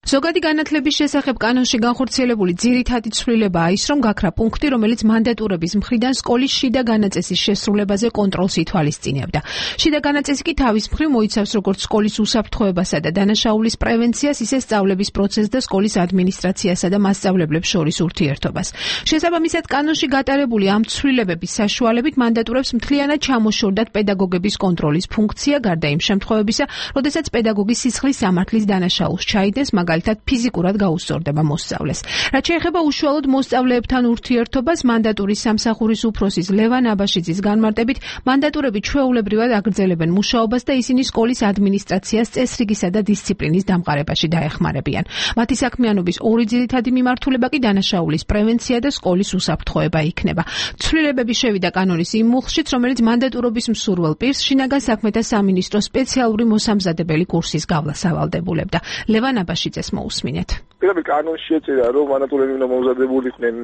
ზოგადი განათლების შესახებ კანონში განხორციელებული ძირითადი ცვლილებაა ის, რომ გაქრა პუნქტი, რომელიც მანდატურების მხრიდან სკოლის შიდა განაწესის შესრულებაზე კონტროლს ითვალისწინებდა. შიდა განაწესი კი თავის მხრივ მოიცავს როგორც სკოლის უსაფრთხოებასა და დანაშაულის პრევენციას, ისე სწავლების პროცესს და სკოლის ადმინისტრაციასა და მასწავლებლებს შორის ურთიერთობას. შესაბამისად, კანონში გატარებული ამ ცვლილებების საშუალებით მანდატურებს მთლიანად ჩამოშორდათ პედაგოგების კონტროლის ფუნქცია, გარდა იმ შემთხვევებისა, როდესაც პედაგოგი სისხლის სამართლის დანაშაულს ჩაიდენს, მაგალითად ფიზიკურად გაუსწორდება მოსწავლეს. რაც შეეხება უშუალოდ მოსწავლეებთან ურთიერთობას, მანდატურის სამსახურის უფროსის ლევან აბაშიძის განმარტებით, მანდატურები ჩვეულებრივად აგრძელებენ მუშაობას და ისინი სკოლის ადმინისტრაციას წესრიგისა და დისციპლინის დამყარებაში დაეხმარებიან. მათი საქმიანობის ორი ძირითადი მიმართულება კი დანაშაულის პრევენცია და სკოლის უსაფრთხოება იქნება. ცვლილებები შევიდა კანონის იმ მუხლშიც, რომელიც მანდატურობის მსურველ პირს შინაგან საქმეთა სამინისტროს სპეციალური მოსამზადებელი კურსის გავლას ავალდებულებდა. ლევან აბაშიძე მოусმინეთ. პირდაპირ კანონში ეწერა, რომ მანდატურები უნდა მომზადებულიყვნენ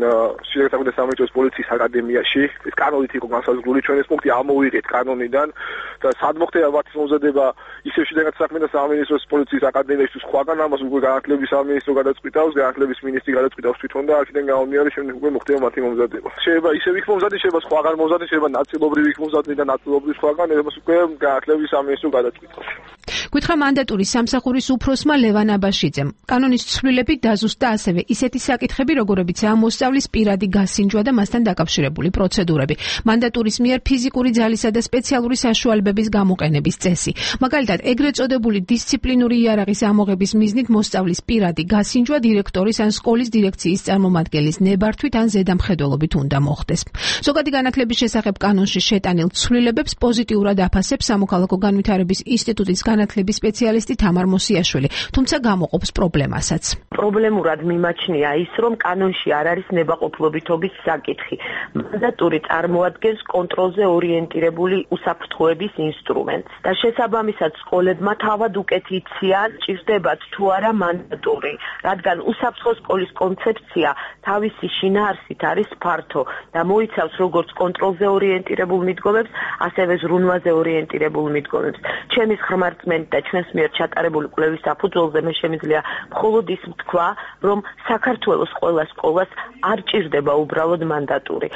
შინაგან საქმეთა სამინისტროს პოლიციის აკადემიაში. ეს კანონით იყო განსაზღვრული, ჩვენ ეს პუნქტი ამოვიღეთ კანონიდან და სად მოხდება მათის მომზადება ისევ შინაგან საქმეთა სამინისტროს პოლიციის აკადემიაში თუ სხვაგან, ამას უკვე განათლების სამინისტრო გადაწყვიტავს, განათლების მინისტრი გადაწყვიტავს თვითონ და აქედან გამომდინარე შემდეგ უკვე მოხდება მათი მომზადება. შეიძლება ისევ იქ მომზადდეს, შეიძლება სხვაგან მომზადდეს, შეიძლება ნაწილობრივ იქ მომზადდეს და ნაწილობრივ სხვაგან, ამას უკვე განათლების სამინისტრო გადაწყვიტავს. გითხრა მანდატურის სამსახურის უფროსმა ლევან აბაშიძემ. კანონის ცვლილებით დაზუსტდა ასევე ისეთი საკითხები, როგორებიცაა მოსწავლის პირადი გასინჯვა და მასთან დაკავშირებული პროცედურები, მანდატურის მიერ ფიზიკური ძალისა და სპეციალური საშუალებების გამოყენების წესი. მაგალითად, ეგრეთ წოდებული დისციპლინური იარაღის ამოღების მიზნით მოსწავლის პირადი გასინჯვა დირექტორის ან სკოლის დირექციის წარმომადგენლის ნებართვით ან ზედამხედველობით უნდა მოხდეს. ზოგადი განათლების შესახებ კანონში შეტანილ ცვლილებებს პოზიტიურად აფასებს სამოქალაქო განვითარების ინსტიტუტის განათლების სპეციალისტი თამარ მოსიაშვილი, თუმცა გამოყოფს პრობლემასაც. პრობლემურად მიმაჩნია ის, რომ კანონში არ არის ნებაყოფლობითობის საკითხი. მანდატური წარმოადგენს კონტროლზე ორიენტირებული უსაფრთხოების ინსტრუმენტს და შესაბამისად სკოლებმა თავად უკეთ იციან, ჭირდებათ თუ არა მანდატური, რადგან უსაფრთხო სკოლის კონცეფცია თავისი შინაარსით არის ფართო და მოიცავს როგორც კონტროლზე ორიენტირებულ მიდგომებს, ასევე ზრუნვაზე ორიენტირებულ მიდგომებს. ჩემი ხმარწმენით და ჩვენს მიერ ჩატარებული კვლევის საფუძველზე მე შემიძლია მხოლოდ ის თქვა, რომ საქართველოს ყველა სკოლას არ ჭირდება უბრალოდ მანდატური.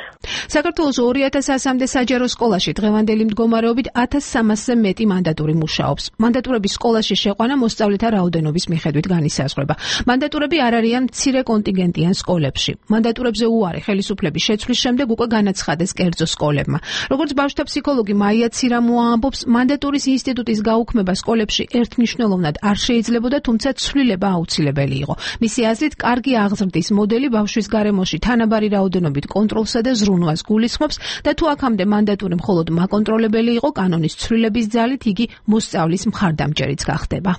საქართველოს 2100-მდე საჯარო სკოლაში დღევანდელი მდგომარეობით 1300-ზე მეტი მანდატური მუშაობს. მანდატურების სკოლაში შეყვანა მოსწავლეთა რაოდენობის მიხედვით განისაზღვრება. მანდატურები არ არიან მცირე კონტინგენტიან სკოლებში. მანდატურებზე უარი ხელისუფლების შეცვლის შემდეგ უკვე განაცხადეს კერძო სკოლებმა. როგორც ბავშვთა ფსიქოლოგი მაია ცირამოა ამბობს, მანდატურის ინსტიტუტის გაუქმება სკოლებში პირობებში ერთმნიშვნელოვნად არ შეიძლებოდა, თუმცა ცვლილება აუცილებელი იყო. მისი აზრით, კარგი აღზრდის მოდელი ბავშვის გარემოში თანაბარი რაოდენობით კონტროლსა და ზრუნვას გულისხმობს და თუ აქამდე მანდატური მხოლოდ მაკონტროლებელი იყო, კანონის ცვლილების ძალით იგი მოსწავლის მხარდამჭერიც გახდება.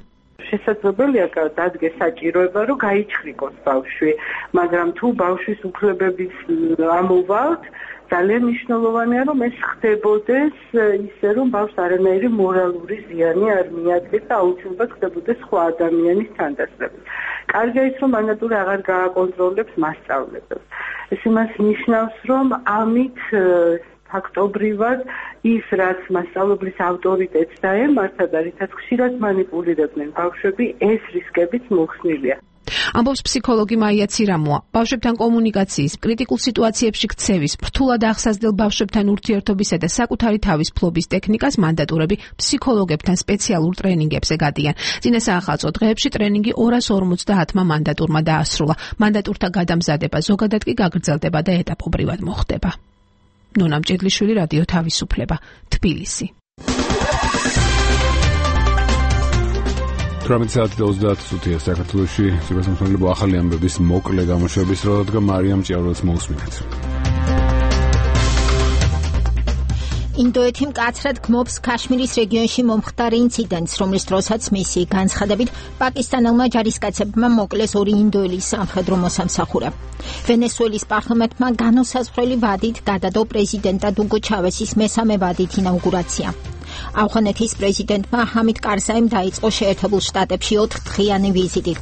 შესაძლებელია დადგეს საჭიროება, რომ გაიჩხრიკოს ბავშვი, მაგრამ თუ ბავშვის უფლებების ამოვალთ, ძალიან მნიშვნელოვანია, რომ ეს ხდებოდეს ისე, რომ ბავშვს არანაირი მორალური ზიანი არ მიადგეს და აუცილებლად ხდებოდეს სხვა ადამიანის თანდასწრებით. კარგია ის, რომ მანდატური აღარ გააკონტროლებს მასწავლებელს. ეს იმას ნიშნავს, რომ ამით ფაქტობრივად ის, რაც მასწავლებლის ავტორიტეტს დაემართა და რითაც ხშირად მანიპულირებდნენ ბავშვები, ეს რისკებიც მოხსნილია. ამბობს ფსიქოლოგი მაია ცირამოა. ბავშვებთან კომუნიკაციის, კრიტიკულ სიტუაციებში ქცევის, რთულად აღსაზრდელ ბავშვებთან ურთიერთობისა და საკუთარი თავის ფლობის ტექნიკას მანდატურები ფსიქოლოგებთან სპეციალურ ტრენინგებზე გადიან. წინა საახალწლო დღეებში ტრენინგი 250-მა მანდატურმა დაასრულა. მანდატურთა გადამზადება ზოგადად კი გაგრძელდება და ეტაპობრივად მოხდება. ნონა მჭედლიშვილი, რადიო თავისუფლება, თბილისი. 18:30 საქართველოში სიბრასმსმელებო ახალი ამბების მოკლე გამოშვების რო დადგა მარიამ ჭიაურელს მოусმინეთ. ინდოეთი მკაცრად გმობს ქაშმირის რეგიონში მომხდარ ინციდენტს, რომლის დროსაც მისი განცხადებით პაკისტანელმა ჯარისკაცებმა მოკლეს 2 ინდოელის სამხედრო მოსამსახურე. ვენესუელის პარლამენტმა განუსაზღვრელი ვადით გადადო პრეზიდენტად უგო ჩავესის მესამე ვადით ინაუგურაცია. ავღანეთის პრეზიდენტმა ჰამიდ კარზაიმ დაიწყო შეერთებულ შტატებში 4-დღიანი ვიზიტი.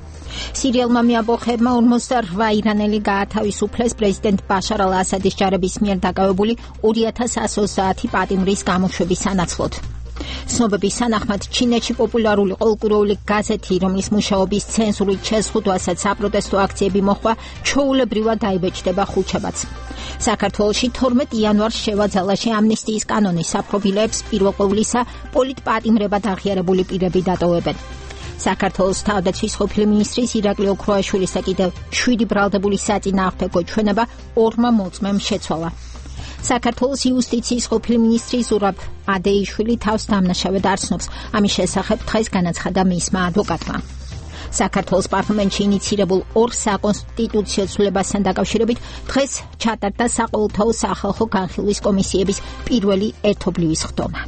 სირიელმა მეაბოხებმა 48 ირანელი გაათავისუფლეს პრეზიდენტ ბაშარ ალ-ასადის ჯარების მიერ დაკავებული 2130 პატიმრის გამოშვების სანაცვლოდ. ცნობების თანახმად ჩინეთში პოპულარული ყოლკურეული გაზეთი, რომლის მუშაობის ცენზურით შეზღუდვასაც საპროტესტო აქციები მოხდა, ჩვეულებრივად დაიბეჭდება ხუთშაბათს. საქართველოში 12 იანვარს შევაძალაში ამნისტიის კანონის საპრობილეებს პირველ ყოვლისა პოლიტპატიმრებად აღიარებული პირები დატოვებენ. საქართველოს თავდაცვის ყოფილი მინისტრის ირაკლი ოქროაშვილის და კიდევ 7 ბრალდებული საწინააღმდეგო ჩვენება 2 მოწმემ შეცვალა. საქართველოს იუსტიციის ყოფილი მინისტრი ზურაბ ადეიშვილი თავს დამნაშავედ არსნობს. ამის შესახებ დღეს განაცხადა მისმა ადვოკატმა. საქართველოს პარლამენტში ინიცირებულ 2 საკონსტიტუციო ცვლილებასთან დაკავშირებით დღეს ჩატარდა საყოველთაო სახალხო განხილვის კომისიების პირველი ერთობლივი სხდომა.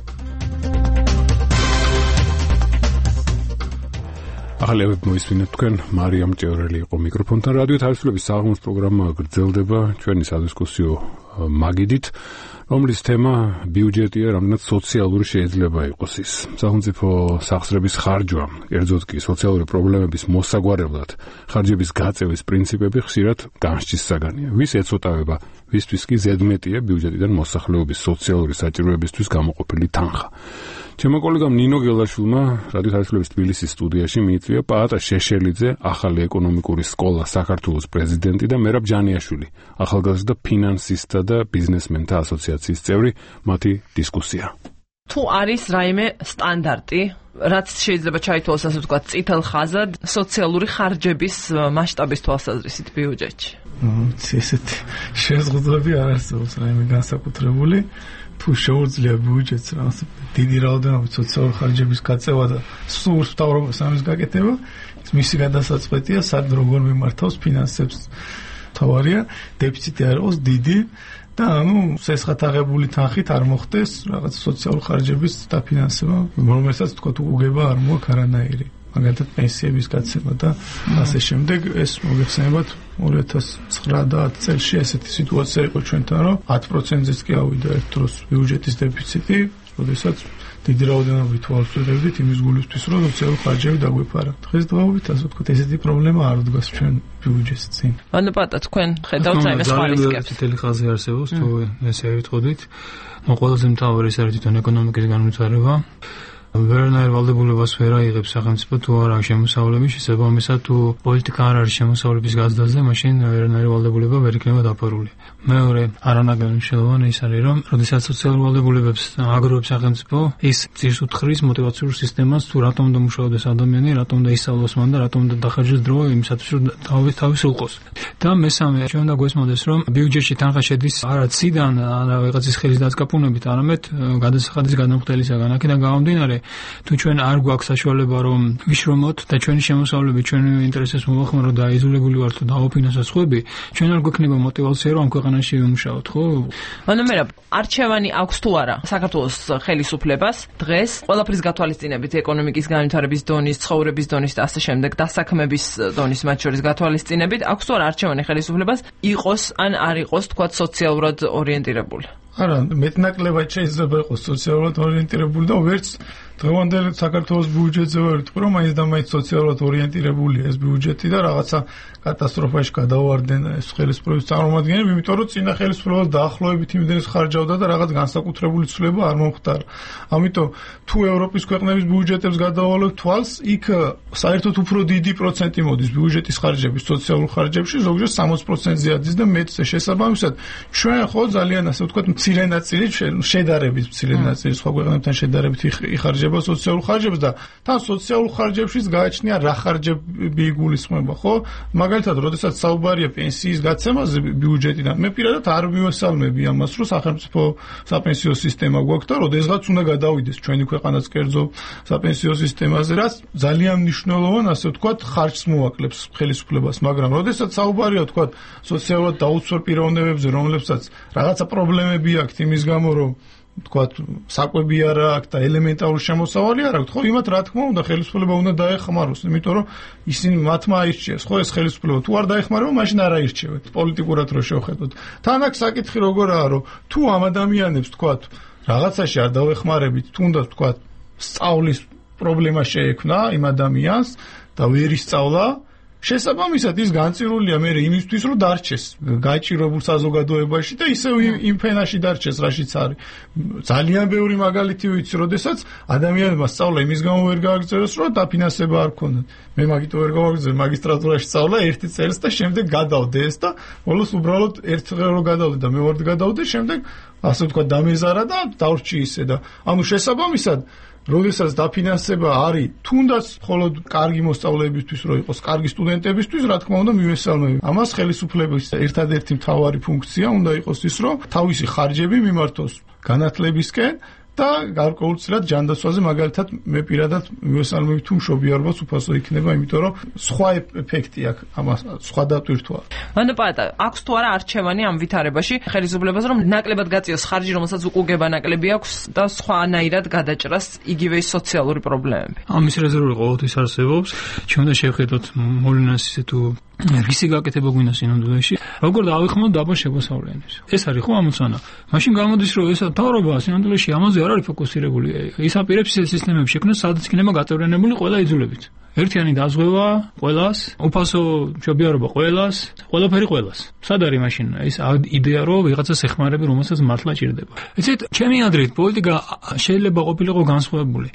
ახალი ამბები მოისმინეთ თქვენ, მარიამ ჭიაურელი იყო მიკროფონთან. რადიო თავისუფლების საღამოს პროგრამა გრძელდება ჩვენი სადისკუსიო მაგიდით, რომლის თემა ბიუჯეტია, რამდენად სოციალური შეიძლება იყოს ის. სახელმწიფო სახსრების ხარჯვა, კერძოდ კი სოციალური პრობლემების მოსაგვარებლად ხარჯების გაწევის პრინციპები ხშირად განსჯის საგანია. ვის ეცოტავება, ვისთვის კი ზედმეტია ბიუჯეტიდან მოსახლეობის სოციალური საჭიროებისთვის გამოყოფილი თანხა. ჩემო კოლეგამ ნინო გელაშვილმა რადიო თავისუფლების თბილისის სტუდიაში მიიწვია პაატა შეშელიძე, ახალი ეკონომიკური სკოლა საქართველოს პრეზიდენტი და მერაბ ჯანიაშვილი, ახალგაზრდა ფინანსისტთა და ბიზნესმენთა ასოციაციის წევრი, მათი დისკუსია. თუ არის რაიმე სტანდარტი, რაც შეიძლება ჩაითვალოს ასე ვთქვათ წითელ ხაზად სოციალური ხარჯების მასშტაბის თვალსაზრისით ბიუჯეტში? ესეთი შეზღუდვები არ არსებობს რაიმე განსაკუთრებული. თუ შეუძლია ბიუჯეტს რაღაც დიდი რაოდენობით სოციალური ხარჯების გაწევა და სურს მთავრობას ამის გაკეთება, მისი გადასაწყვეტია სად როგორ მიმართავს ფინანსებს. თავარია დეფიციტი არ იყოს დიდი და სესხათაღებული თანხით არ მოხდეს რაღაც სოციალური ხარჯების დაფინანსება, რომელსაც თქვა უგება არ მოაქვს არანაირი. მაგალითად პენსიების გაცემა და ასე შემდეგ. ეს მოგეხსენებათ 2009 წელს ესეთი სიტუაცია იყო ჩვენთან, რომ 10%-იც კი ავიდა ერთ დროს ბიუჯეტის დეფიციტი, როდესაც დიდი რაოდენობით ვავსებდით იმის გულისთვის, რომ სოციალური ხარჯები დაგვეფარა. დღესდღეობით ასე ვთქვათ, ესეთი პრობლემა არ დგას ჩვენ ბიუჯეტს წინ. ანუ პატა თქვენ ხედავთ რაიმე სხვა რისკებს? წითელი ხაზი არსებობს, თუ ესე ვიტყოდით. ყველაზე მთავარი ის არის თვითონ ეკონომიკის განვითარება. ვერანაირ ვალდებულებას ვერ აიღებს სახელმწიფო თუ არ აქვს შემოსავლების შესაბამისად თუ პოლიტიკა არ არის შემოსავლების გაზრდაზე, მაშინ ვერანაირი ვალდებულება ვერ იქნება დაფარული. მეორე არანაკლებ მნიშვნელოვანი ის არის, რომ როდესაც სოციალურ ვალდებულებებს აგროვებს სახელმწიფო, ის ძირს უთხრის მოტივაციურ სისტემას, თუ რატომ უნდა მუშაობდეს ადამიანი, რატომ უნდა ისწავლოს მან და რატომ უნდა დახარჯოს დრო იმისათვის, რომ თავის ულყოს. და მესამე, ჩვენ უნდა გვესმოდეს, რომ ბიუჯეტში თანხა შედის არა ციდან, არა ვიღაცის ხელის დაწკაპუნებით, არამედ გადასახადის გადამხდელისაგან. აქედან გამომდინარე, თუ ჩვენ არ გვაქვს საშუალება რომ ვიშრომოთ და ჩვენი შემოსავლები ჩვენი ინტერესებს მოვახმაროთ და აიზოლებული ვართ და დაუფინანსოთ სხვები, ჩვენ არ გვექნება мотивация რომ ამ ქვეყანაში ვიმუშაოთ, ხო? მანამდე არჩევანი აქვს თუ არა საქართველოს ხელისუფლებას დღეს ყველაფრის გათვალისწინებით ეკონომიკის განვითარების დონის, ცხოვრების დონის და ასე შემდეგ დასაქმების დონის მათ შორის გათვალისწინებით აქვს თუ არა არჩევანი ხელისუფლებას იყოს ან არ იყოს თქვა სოციალურად ორიენტირებული? არა, მეტნაკლებად შეიძლება იყოს სოციალურად ორიენტირებული და ვერც დღევანდელ საქართველოს ბიუჯეტზე ვერ ვიტყვი, რომ მაინც და მაინც სოციალურად ორიენტირებულია ეს ბიუჯეტი და რაღაცა კატასტროფაში გადავარდნენ ეს ხელისუფლების წარმომადგენლები, იმიტომ რომ წინა ხელისუფლებას დაახლოებით იმდენს ხარჯავდა და რაღაც განსაკუთრებული ცვლილება არ მომხდარა. ამიტომ თუ ევროპის ქვეყნების ბიუჯეტებს გადავალებთ თვალს, იქ საერთოდ უფრო დიდი პროცენტი მოდის ბიუჯეტის ხარჯების სოციალურ ხარჯებში, ზოგჯერ 60%-ზე ადის და მეტზე. შესაბამისად, ჩვენ ხო ძალიან ასე ვთქვათ, მცირე ნაწილი შედარებით მცირე ნაწილი სხვა ქვეყნებთან შედარებით იხარჯება სოციალურ ხარჯებს და თან სოციალურ ხარჯებშიც გააჩნია რა ხარჯები იგულისხმება, ხო? მაგალითად, როდესაც საუბარია პენსიის გაცემაზე ბიუჯეტიდან, მე პირადად არ მივესალმები ამას, რომ სახელმწიფო საპენსიო სისტემა გვაქვს და როდესაც უნდა გადავიდეს ჩვენი ქვეყანაც კერძო საპენსიო სისტემაზე, რაც ძალიან მნიშვნელოვან, ასე ვთქვათ, ხარჯს მოაკლებს ხელისუფლებას, მაგრამ როდესაც საუბარია, ვთქვათ, სოციალურად დაუცველ პიროვნებებზე, რომლებსაც რაღაცა პრობლემები აქვთ იმის გამო, რომ თქვათ საკვები არ აქვს და ელემენტარული შემოსავალი არ აქვს, ხო, იმათ რა თქმა უნდა ხელისუფლება უნდა დაეხმაროს, იმიტომ რომ ისინი მათმა აირჩიეს, ხო, ეს ხელისუფლება თუ არ დაეხმარება, მაშინ არ აირჩევთ, პოლიტიკურად რო შევხედოთ. თან აქ საკითხი როგორაა, რომ თუ ამ ადამიანებს თქვათ რაღაცაში არ დავეხმარებით, თუნდაც თქვათ სწავლის პრობლემა შეექმნა იმ ადამიანს და ვერ ისწავლა, შესაბამისად ის განწირულია მე იმისთვის რომ დარჩეს გაჭირებულ საზოგადოებაში და ისევ იმ ფენაში დარჩეს რაშიც არის. ძალიან ბევრი მაგალითი ვიცი, როდესაც ადამიანებმა სწავლა იმის გამო ვერ გააგრძელეს, რომ დაფინანსება არ ქონდათ. მე მაგიტო ვერ გავაგრძელე მაგისტრატურაში სწავლა 1 წელს და შემდეგ გადავდე ეს და ბოლოს უბრალოდ ერთხელ რო გადავდე და მეორე გადავდე, შემდეგ ასე ვთქვათ დამეზარა და დავრჩი ისე და ანუ შესაბამისად როდესაც დაფინანსება არის თუნდაც მხოლოდ კარგი მოსწავლეებისთვის რო იყოს, კარგი სტუდენტებისთვის, რა თქმა უნდა მივესალმები. ამას ხელისუფლების ერთადერთი მთავარი ფუნქცია უნდა იყოს ის, რომ თავისი ხარჯები მიმართოს განათლებისკენ და გარკვეულწილად ჯანდაცვაზე, მაგალითად მე პირადად მივესალმები თუ მშობიარობას უფასო იქნება, იმიტომ რომ სხვა ეფექტი აქვს ამას, სხვა დატვირთვა. ანუ პატა, აქვს თუ არა არჩევანი ამ ვითარებაში ხელისუფლებას, რომ ნაკლებად გაწიოს ხარჯი, რომელსაც უკუგება ნაკლები აქვს და სხვანაირად გადაჭრას იგივე სოციალური პრობლემები. ამის რეზერვი ყოველთვის არსებობს. ჩვენ უნდა შევხედოთ მოვლენას ისე თუ რისი გაკეთება გვინდა სინამდვილეში, როგორ დავიხმოთ დაბა შემოსავლიანებს. ეს არის ხო ამოცანა. მაშინ გამოდის, რომ ეს თავრობა სინამდვილეში ამაზე არ არის ფოკუსირებული. ის აპირებს ეს სისტემები შექმნას, სადაც იქნება გაწევრიანებული ყველა იძულებით. ერთიანი დაზღვევა ყველას, უფასო მშობიარობა ყველას, ყველაფერი ყველას. სად არის მაშინ ეს იდეა, რომ ვიღაცას ეხმარები, რომელსაც მართლა ჭირდება. იცით, ჩემი აზრით, პოლიტიკა შეიძლება ყოფილიყო განსხვავებული.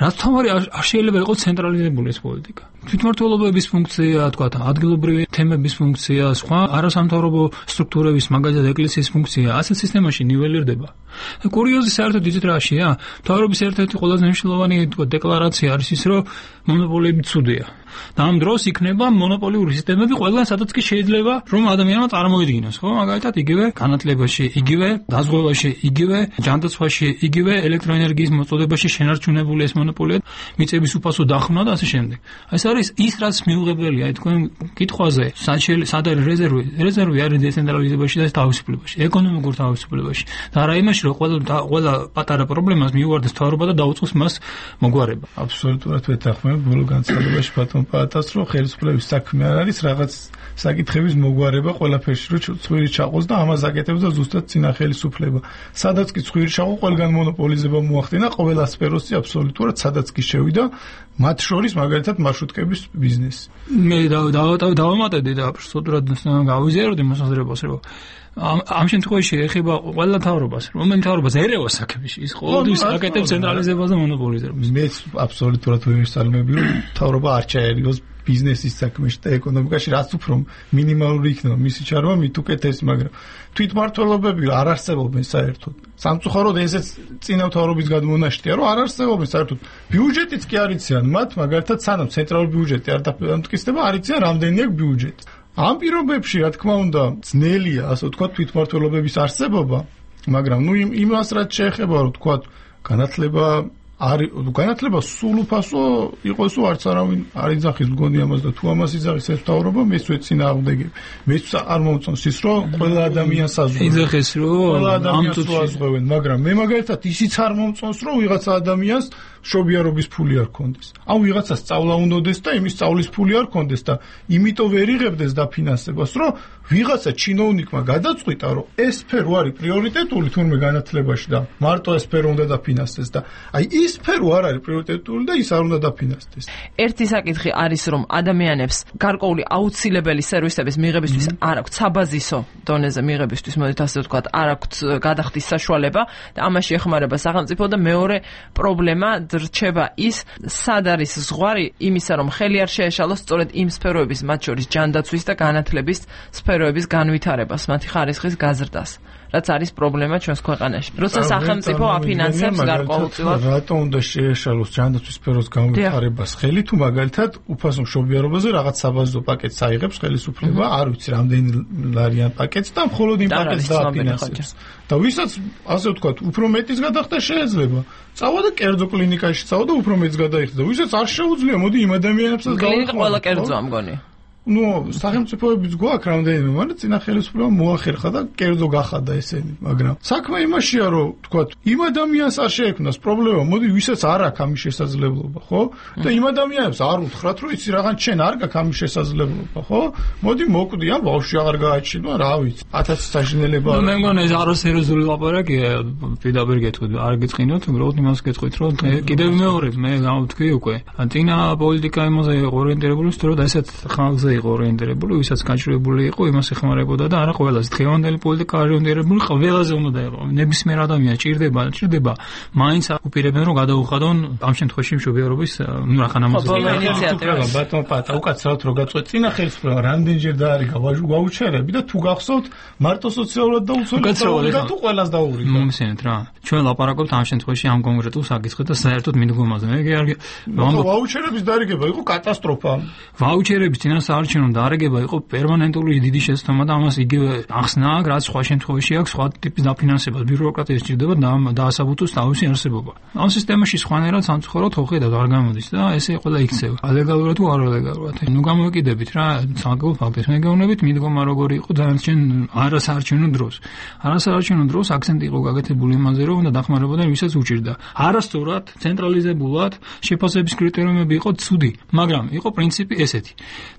რაც თამარი არ შეიძლება იყოს ცენტრალიზებული ეს პოლიტიკა. თვითმმართველობების ფუნქცია, თქვა, ადგილობრივი თემების ფუნქცია, სხვა არასამთავრობო სტრუქტურების, მაგალითად ეკლესიის ფუნქცია, ასეთ სისტემაში ნიველირდება. კურიოზი საერთოდ იცით რაშია? მთავრობის ერთ-ერთი ყველაზე მნიშვნელოვანი დეკლარაცია არის ის, რომ მონოპოლიები ცუდია. და ამ დროს იქნება მონოპოლიური სისტემები ყველა სადაც კი შეიძლება რომ ადამიანმა წარმოიდგინოს, ხო? მაგალითად იგივე განათლებაში, იგივე დაზღვევაში, იგივე ჯანდაცვაში, იგივე ელექტროენერგიის მოწოდებაში შენარჩუნებული ეს მონოპოლია, მიწების უფასო დახმნა და ასე შემდეგ. ეს არის ის, რაც მიუღებელია თქვენ კითხვაზე, სად არის რეზერვი? რეზერვი არის დეცენტრალიზებაში და თავისუფლებაში, ეკონომიკურ თავისუფლებაში. და არა იმაში, რომ ყველა პატარა პრობლემას მიუვარდეს მთავრობა და დაუწყოს მას მოგვარება. აბსოლუტურად ვეთანხმებ ბოლო განცხადებაში ბატონ პატას, რომ ხელისუფლების საქმე არ არის რაღაც საკითხების მოგვარება ყველაფერში, რომ ცხვირი ჩაყოს და ამას აკეთებს და ზუსტად წინა ხელისუფლება. სადაც კი ცხვირი ჩაყო, ყველგან მონოპოლიზება მოახდინა, ყველა სფეროში აბსოლუტურად სადაც კი შევიდა, მათ შორის მაგალითად მარშრუტკების ბიზნესი. მე დავამატებდი და აბსოლუტურად გავიზიარებდი მოსაზრებას, რომ ამ შემთხვევაში ეხება ყველა მთავრობას, რომელიც მთავრობას ერევას საქმეში, ის ყოველთვის აკეთებს ცენტრალიზებას და მონოპოლიზებას. მე აბსოლუტურად ვიმსალმები, რომ მთავრობა არ ჩაერიგოს ბიზნესის საქმეში და ეკონომიკაში, რაც უფრო მინიმალური იქნება მისი ჩარვა, მით უკეთესი, მაგრამ თვითმმართველობები არ არსებობენ საერთოდ. სამწუხაროდ ესეც წინა მთავრობის გადმონაშთია, რომ არ არსებობენ საერთოდ. ბიუჯეტიც კი არ იციან მათ, მაგალითად სანამ ცენტრალური ბიუჯეტი არ დამტკიცდება, არ იციან რამდენი აქვს ბიუჯეტი. ამ პირობებში, რა თქმა უნდა, ძნელია, ასე ვთქვათ, თვითმმართველობების არსებობა, მაგრამ იმას რაც შეეხება, რომ ვთქვათ, განათლება არის განათლება სულ უფასო იყოს არც არავინ არ იძახის მგონი ამას და თუ ამას იძახის ეს მთავრობა მეც ვეწინააღმდეგები მეც არ მომწონს ის რომ ყველა ადამიანს აზღვევენ იძახეს რომ ყველა ადამიანს აზღვევენ მაგრამ მე მაგალითად ისიც არ მომწონს რომ ვიღაცა ადამიანს შობიარობის ფული არ ქონდეს ან ვიღაცა სწავლა უნდადეს და იმის სწავლის ფული არ ქონდეს და იმიტომ ვერ იღებდეს დაფინანსებას რომ ვიღაცა ჩინოვნიკმა გადაწყვიტა რომ ეს სფერო არის პრიორიტეტული თურმე განათლებაში და მარტო ეს სფერო უნდა დაფინანსდეს და აი ის სფერო არ არის პრიორიტეტული და ის არ უნდა დაფინანსდეს. ერთი საკითხი არის რომ ადამიანებს გარკვეული აუცილებელი სერვისების მიღებისთვის არ აქვთ საბაზისო დონეზე მიღებისთვის მოდით ასე ვთქვათ არ აქვთ გადახდის საშუალება და ამაში ეხმარება სახელმწიფო და მეორე პრობლემა რჩება ის სად არის ზღვარი იმისა რომ ხელი არ შეეშალოს სწორედ იმ სფეროების მათ შორის ჯანდაცვის და განათლების სფეროების განვითარებას მათი ხარისხის გაზრდას რაც არის პრობლემა ჩვენს ქვეყანაში. როცა სახელმწიფო აფინანსებს გარკვეულწილად რატო უნდა შეეშალოს ჯანდაცვის სფეროს განვითარებას ხელი თუ მაგალითად უფასო მშობიარობაზე რაღაც საბაზო პაკეტს აიღებს ხელისუფლება არ ვიცი რამდენი ლარიან პაკეტს და მხოლოდ იმ პაკეტს დააფინანსებს და ვისაც ასე ვთქვათ უფრო მეტის გადახდა შეიძლება წავა და კერძო კლინიკაში წავა და უფრო მეტს გადაიხდა და ვისაც არ შეუძლია მოდი იმ ადამიანებსაც კლინიკა ყველა კერძოა მგონი ნუ სახელმწიფოებიც გვაქვს რამდენიმე, მაგრამ წინა ხელისუფლებამ მოახერხა და კერძო გახადა ესენი, მაგრამ საქმე იმაშია, რომ თქვათ, იმ ადამიანს არ შეექმნას პრობლემა, მოდი ვისაც არ აქვს ამის შესაძლებლობა, ხო? და იმ ადამიანებს არ უთხრათ, რომ იცი რაღაც შენ არ გაქვს ამის შესაძლებლობა, ხო? მოდი მოკვდი, ან ბავშვი აღარ გააჩინო, რა ვიცი, 1000 საშინელება. მე მგონი ეს არასერიოზული ლაპარაკია, პირდაპირ გეტყვით, არ გეწყინოთ, უბრალოდ იმას გეტყვით, რომ კიდევ მეორე მე გამოვთქვი უკვე. წინა პოლიტიკა იმაზე ორიენტირებული, რომ ესეთ ხალხზე იყო ორიენტირებული, ვისაც გაჭირვებული იყო, იმას ეხმარებოდა და არა ყველას. დღევანდელი პოლიტიკა ორიენტირებული ყველაზე უნდა იყო. ნებისმიერ ადამიანს ჭირდება, მაინც უპირებენ რომ გადაუხადონ ამ შემთხვევაში მშობიარობის რახან ამაზე. ბატონ პატა, უკაცრავად რო გაწყვეტ წინა ხელისუფლება რამდენჯერ დაარიგა ვაუჩერები და თუ გახსოვთ მარტო სოციალურად დაუცველად და თუ ყველას დაურიგა. მომისმენთ რა. ჩვენ ლაპარაკობთ ამ შემთხვევაში ამ კონკრეტულ საკითხზე და საერთოდ მიდგომაზე. მე ვაუჩერების დარიგება იყო კატასტროფა. ვაუჩერების წინას არჩევნო დაარიგება იყო პერმანენტული დიდი შეცდომა და ამას იგივე ახსნა აქვს, რაც სხვა შემთხვევაში აქვს სხვა ტიპის დაფინანსება, ბიუროკრატია სჭირდება დაასაბუთოს თავისი არსებობა. ამ სისტემაში სხვანაირად სამწუხაროდ ხედავთ არ გამოდის და ესე ყველა იქცევა. ალეგალურად თუ არ ალეგალურად. ნუ გამოვიკიდებით რა, საკუთარ ფაქტებს მეგეუბნებით, მიდგომა როგორი იყო დანარჩენ არასაარჩევნო დროს. არასაარჩევნო დროს აქცენტი იყო გაკეთებული იმაზე, რომ უნდა დახმარებოდნენ ვისაც უჭირდა. არასწორად, ცენტრალიზებულად შეფასების კრიტერიუმები იყო ცუდი, მაგრამ იყო პრინციპი ესეთი.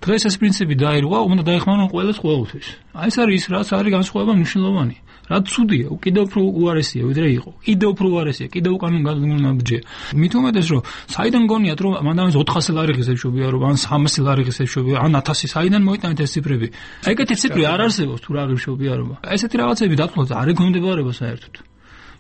დღეს ეს პრინციპი დაირღვა, უნდა დაეხმარონ ყველას ყოველთვის. აი ეს არის ის, რაც არის განსხვავება მნიშვნელოვანი. რაც ცუდია, კიდევ უფრო უარესია, ვიდრე იყო. კიდევ უფრო უარესია, კიდევ უკან გადმონაბჯეა. მით უმეტეს, რომ საიდან გონიათ, რომ მანდამის 400 ლარი ღირსებშობია, რომ ან 300 ლარი ღირსებშობია, ან 1000 საიდან მოიტანეთ ეს ციფრები. ეგეთი ციფრი არ არსებობს თუ რა ღირსებშობიარობა. ესეთი რაღაცები დათვალოთ არ ეგონდებარება საერთოდ.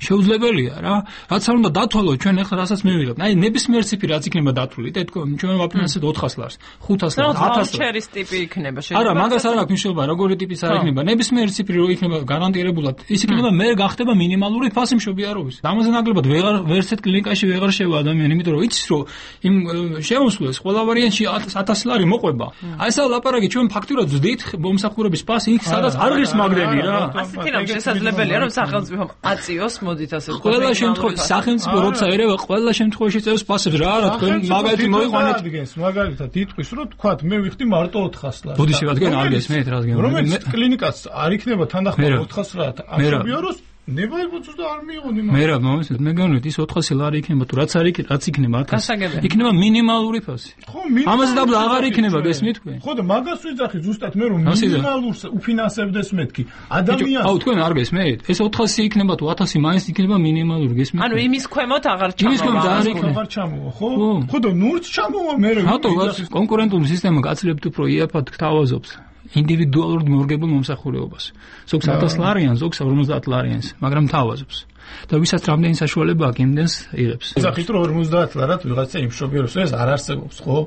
შეუძლებელია რა. რაც არ უნდა დათვალოთ ჩვენ ახლა რასაც მივიღებთ. აი ნებისმიერ ციფრი რაც იქნება დათვლილი, და ჩვენ ვაფინანსებთ 400 ლარს, 500 ლარს, 1000 ლარს ტიპი იქნება შეიძლება. არა, მაგას არ აქვს მნიშვნელობა, როგორი ტიპის არ იქნება. ნებისმიერ ციფრი რო იქნება გარანტირებულად, ის იქნება მე გახდება მინიმალური ფასი მშობიარობის. ამაზე ნაკლებად ვერც ერთ კლინიკაში ვეღარ შევა ადამიანი, იმიტომ რომ იცის რომ იმ შემოსვლას ყველა ვარიანტში 1000 ლარი მოყვება. აი ესა ლაპარაკი ჩვენ ფაქტურად ვძდით მომსახურების ფასი იქ სადაც არ ღირს მაგდები რა. ასეთი რამ შესაძლებელია რომ სახელმწიფომ აწიოს მოდით ასე ვთქვათ. ყველა შემთხვევაში სახელმწიფო როცა ერევა ყველა შემთხვევაში წერს ფასებს რა არა თქვენ მაგალითი მოიყვანეთ მაგალითად იტყვის რომ თქვათ მე ვიხდი მარტო 400 ლარს. ბუდიში რადგან არ გესმენთ რადგან რომელიც კლინიკას არ იქნება თანახმად 400 ლარად ამშობიაროს ნებაიბუცს და არ მიიღონ იმას. მე რა მომისმენთ მე განვით ის 400 ლარი იქნება თუ რაც იქნება 1000 იქნება მინიმალური ფასი. ხო ამაზე დაბლა აღარ იქნება გესმით თქვენ? ხო და მაგას ვიძახი ზუსტად მე რომ მინიმალურს უფინანსებდეს მეთქი ადამიანს. აუ თქვენ არ გესმით? ეს 400 იქნება თუ 1000 მაინც იქნება მინიმალური გესმით? ანუ იმის ქვემოთ აღარ ჩამოვა. ხო და ნურც ჩამოვა მე რა. რატო კონკურენტული სისტემა გაცილებით უფრო იაფად გთავაზობს ინდივიდუალურ მორგებულ მომსახურებას. ზოგს 1000 ლარიან, ზოგს 50 ლარიანს, მაგრამ თავაზობს. და ვისაც რამდენი საშუალება აქვს, იმდენს იღებს. იზახით რომ 50 ლარად ვიღაცა იმშობიარობს, ეს არ არსებობს, ხო?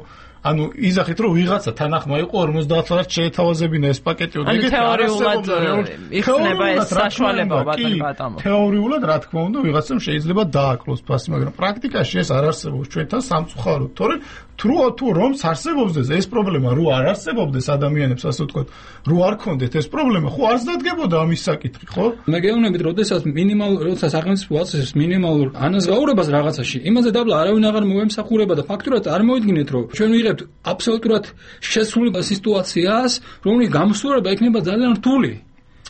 ანუ იზახით რომ ვიღაცა თანახმა იყო 50 ლარად შეეთავაზებინა ეს პაკეტი და ეგეთ თეორიულად იქნება ეს საშუალება ბატონო. თეორიულად რა თქმა უნდა ვიღაცამ შეიძლება დააკლოს ფასი, მაგრამ პრაქტიკაში ეს არ არსებობს ჩვენთან სამწუხაროდ, თორე თუ რომს არსებობს ეს პრობლემა, რო არ არსებობდეს ადამიანებს, ასე ვთქვათ, რო არ ქონდეთ ეს პრობლემა, ხო არ ზრდაგებოდა ამის საკითხი, ხო? მე გეუბნებით, როცა სახელმწიფო აწესებს მინიმალურ ანაზღაურებას რაღაცაში, იმაზე დაბლა არავინ აღარ მოემსახურება და ფაქტურად წარმოიდგინეთ, რომ ჩვენ ვიღებთ აბსოლუტურად შესული სიტუაციას, რომლის გამოსწორება იქნება ძალიან რთული.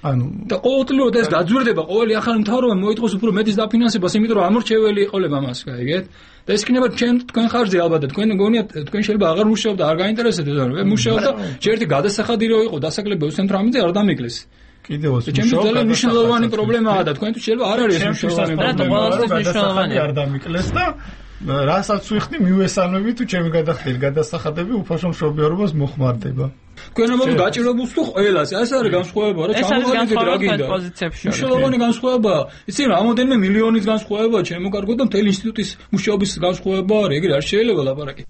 და ყოველწლიურად ეს გაძვირდება, ყოველი ახალი მთავრობა მოითხოვს უფრო მეტის დაფინანსებას, იმიტომ რომ ამორჩეველი იყოლება მას, გაიგეთ? და ეს იქნება თქვენ ხარჯზე ალბათ და თქვენ გონიათ თქვენ შეიძლება აღარ მუშაობ და არ გაინტერესებდეთ, მაგრამ მუშაობ და ჯერტი გადასახადი რო იყო დასაკლებელ ცენტრამდე არ დამიკლეს. კიდევ ის ძალიან მნიშვნელოვანი პრობლემაა და თქვენთვის შეიძლება არ არის მნიშვნელოვანი პრობლემა, არ დამიკლეს და რასაც ვიხდი მივესალმები თუ ჩემი გადახდილი გადასახადები უფასო მშობიარობას მოხმარდება. თქვენ ამბობთ გაჭირებულს თუ ყველას, ეს არის განსხვავება, რა ჩამოვარდით რა გინდა. მნიშვნელოვანი განსხვავება, იცი რამოდენიმე მილიონის განსხვავება ჩემო კარგო და მთელი ინსტიტუტის მუშაობის განსხვავება არის, ეგრე არ შეიძლება ლაპარაკი.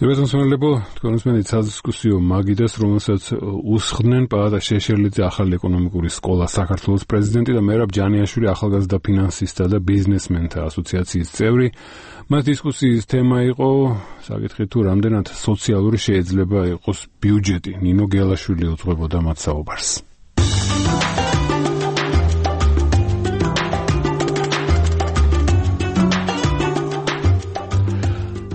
დიალოგოსმენლებო, თქვენსმენით სადისკუსიო მაგიდას, რომელსაც უსხდნენ პაატა შეშერლიძე ახალი ეკონომიკური სკოლა საქართველოს პრეზიდენტი და მერაბ ჯანიაშვილი ახალგაზრდა ფინანსისტთა და ბიზნესმენთა ასოციაციის წევრი. მას დისკუსიის თემა იყო საკითხი თუ რამდენად სოციალური შეიძლება იყოს ბიუჯეტი. ნინო გელაშვილი უძღვებოდა მათ საუბარს.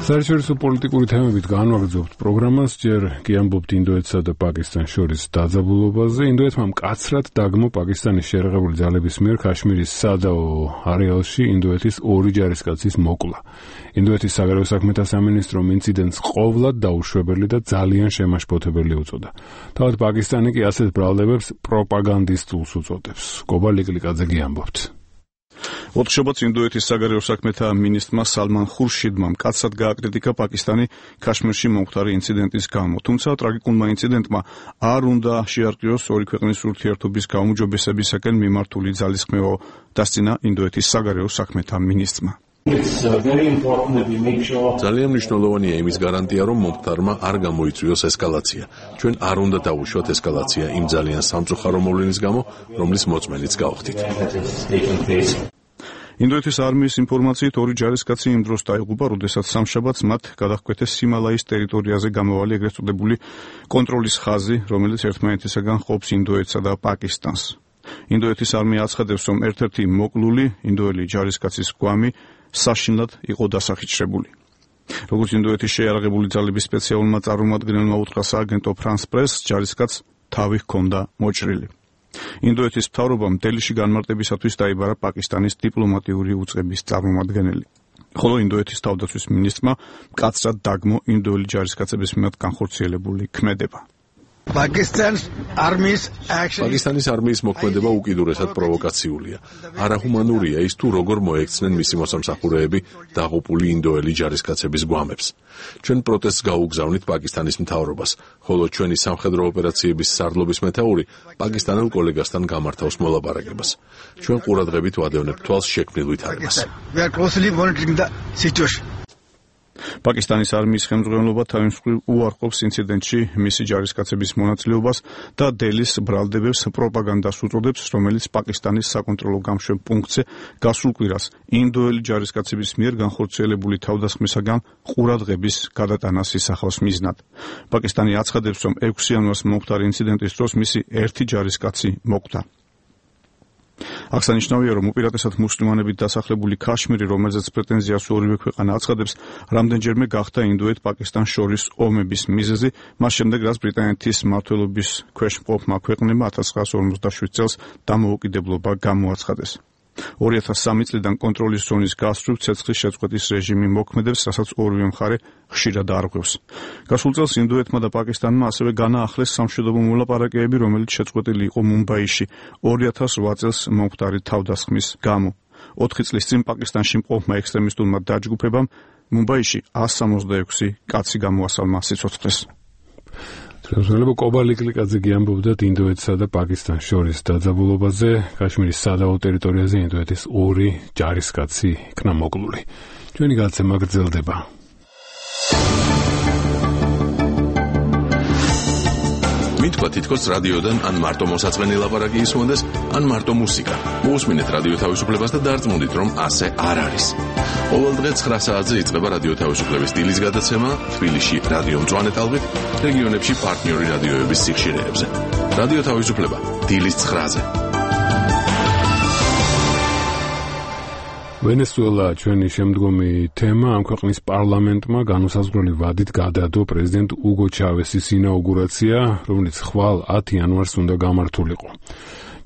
საერთაშორისო პოლიტიკური თემებით განვაგრძობთ პროგრამას, ჯერ კი ამბობთ ინდოეთსა და პაკისტანს შორის დაძაბულობაზე. ინდოეთმა მკაცრად დაგმო პაკისტანის შეერაღებული ძალების მიერ ქაშმირის სადაო არეალში ინდოეთის 2 ჯარისკაცის მოკლა. ინდოეთის საგარეო საქმეთა სამინისტრომ ინციდენტს ყოვლად დაუშვებელი და ძალიან შემაშფოთებელი უწოდა. თავად პაკისტანი კი ასეთ ბრალდებებს პროპაგანდისტულს უწოდებს. კობა ლიკლიკაძე ამბობთ. ოთხშაბათს ინდოეთის საგარეო საქმეთა მინისტრმა სალმან ხურშიდმა მკაცრად გააკრიტიკა პაკისტანი ქაშმირში მომხდარი ინციდენტის გამო. თუმცა ტრაგიკულმა ინციდენტმა არ უნდა შეარყიოს ორი ქვეყნის ურთიერთობის გაუმჯობესებისაკენ მიმართული ძალისხმევა, დასცინა ინდოეთის საგარეო საქმეთა მინისტრმა. ძალიან მნიშვნელოვანია იმის გარანტია, რომ მომხდარმა არ გამოიწვიოს ესკალაცია. ჩვენ არ უნდა დავუშვათ ესკალაცია იმ ძალიან სამწუხარო მოვლენის გამო, რომლის მოწმენიც გავხდით. ინდოეთის არმიის ინფორმაციით 2 ჯარისკაცი იმ დროს დაიღუპა, როდესაც სამშაბათს მათ გადაჰკვეთეს ჰიმალაის ტერიტორიაზე გამავალი ეგრეთ წოდებული კონტროლის ხაზი, რომელიც ერთმანეთისაგან ყოფს ინდოეთსა და პაკისტანს. ინდოეთის არმია აცხადებს, რომ ერთ-ერთი მოკლული ინდოელი ჯარისკაცის გვამი საშინლად იყო დასახიჩრებული. როგორც ინდოეთის შეიარაღებული ძალების სპეციალურმა წარმომადგენელმა უთხრა სააგენტო France Press, ჯარისკაცს თავი ჰქონდა მოჭრილი. ინდოეთის მთავრობამ დელიში განმარტებისათვის დაიბარა პაკისტანის დიპლომატიური უწყების წარმომადგენელი. ხოლო ინდოეთის თავდაცვის მინისტრმა მკაცრად დაგმო ინდოელი ჯარისკაცების მიმართ განხორციელებული ქმედება. პაკისტანის არმიის მოქმედება უკიდურესად პროვოკაციულია. არაჰუმანურია ის თუ როგორ მოექცნენ მისი მოსამსახურეები დაღუპული ინდოელი ჯარისკაცების გვამებს. ჩვენ პროტესტს გაუგზავნით პაკისტანის მთავრობას, ხოლო ჩვენი სამხედრო ოპერაციების სარდლობის მეთაური პაკისტანელ კოლეგასთან გამართავს მოლაპარაკებას. ჩვენ ყურადღებით ვადევნებთ თვალს შექმნილ ვითარებას. პაკისტანის არმიის ხელმძღვანელობა თავის მხრივ უარყოფს ინციდენტში მისი ჯარისკაცების მონაწილეობას და დელის ბრალდებებს პროპაგანდას უწოდებს, რომელიც პაკისტანის საკონტროლო გამშვებ პუნქტზე გასულ კვირას ინდოელი ჯარისკაცების მიერ განხორციელებული თავდასხმისაგან ყურადღების გადატანას ისახავს მიზნად. პაკისტანი აცხადებს, რომ 6 იანვარს მომხდარი ინციდენტის დროს მისი 1 ჯარისკაცი მოკვდა. აღსანიშნავია, რომ უპირატესად მუსლიმანებით დასახლებული ქაშმირი, რომელზეც პრეტენზიას ორივე ქვეყანა აცხადებს, რამდენჯერმე გახდა ინდოეთ-პაკისტანს შორის ომების მიზეზი, მას შემდეგ რაც ბრიტანეთის მმართველობის ქვეშ მყოფმა ქვეყნებმა 1947 წელს დამოუკიდებლობა გამოაცხადეს. 2003 წლიდან კონტროლის ზონის გასწვრივ ცეცხლის შეწყვეტის რეჟიმი მოქმედებს, რასაც ორივე მხარე ხშირად არღვევს. გასულ წელს ინდოეთმა და პაკისტანმა ასევე განაახლეს სამშვიდობო მოლაპარაკებები, რომელიც შეწყვეტილი იყო მუმბაიში 2008 წელს მომხდარი თავდასხმის გამო. 4 წლის წინ პაკისტანში მყოფმა ექსტრემისტულმა დაჯგუფებამ მუმბაიში 166 კაცი გამოასალმა სიცოცხლეს. ხელმძღვანელო კობა ლიკლიკაძე ამბობდათ ინდოეთსა და პაკისტანს შორის დაძაბულობაზე. ქაშმირის სადაო ტერიტორიაზე ინდოეთის 2 ჯარისკაცი იქნა მოკლული. ჩვენი გადაცემა გრძელდება. მითქვა თითქოს რადიოდან ან მარტო მოსაწყენი ლაპარაკი ისმოდეს, ან მარტო მუსიკა. მოусმინეთ რადიო თავისუფლებას და დარწმუნდით, რომ ასე არ არის. ყოველ დღე 9 საათზე იწყება რადიო თავისუფლების დილის გადაცემა თბილისში რადიო მწვანე ტალღით, რეგიონებში პარტნიორი რადიოების სიხშირეებზე. რადიო თავისუფლება დილის 9-ზე. ვენესუელა ჩვენი შემდგომი თემა. ამ ქვეყნის პარლამენტმა განუსაზღვრელი ვადით გადადო პრეზიდენტ უგო ჩავესის ინაუგურაცია, რომელიც ხვალ 10 იანვარს უნდა გამართულიყო.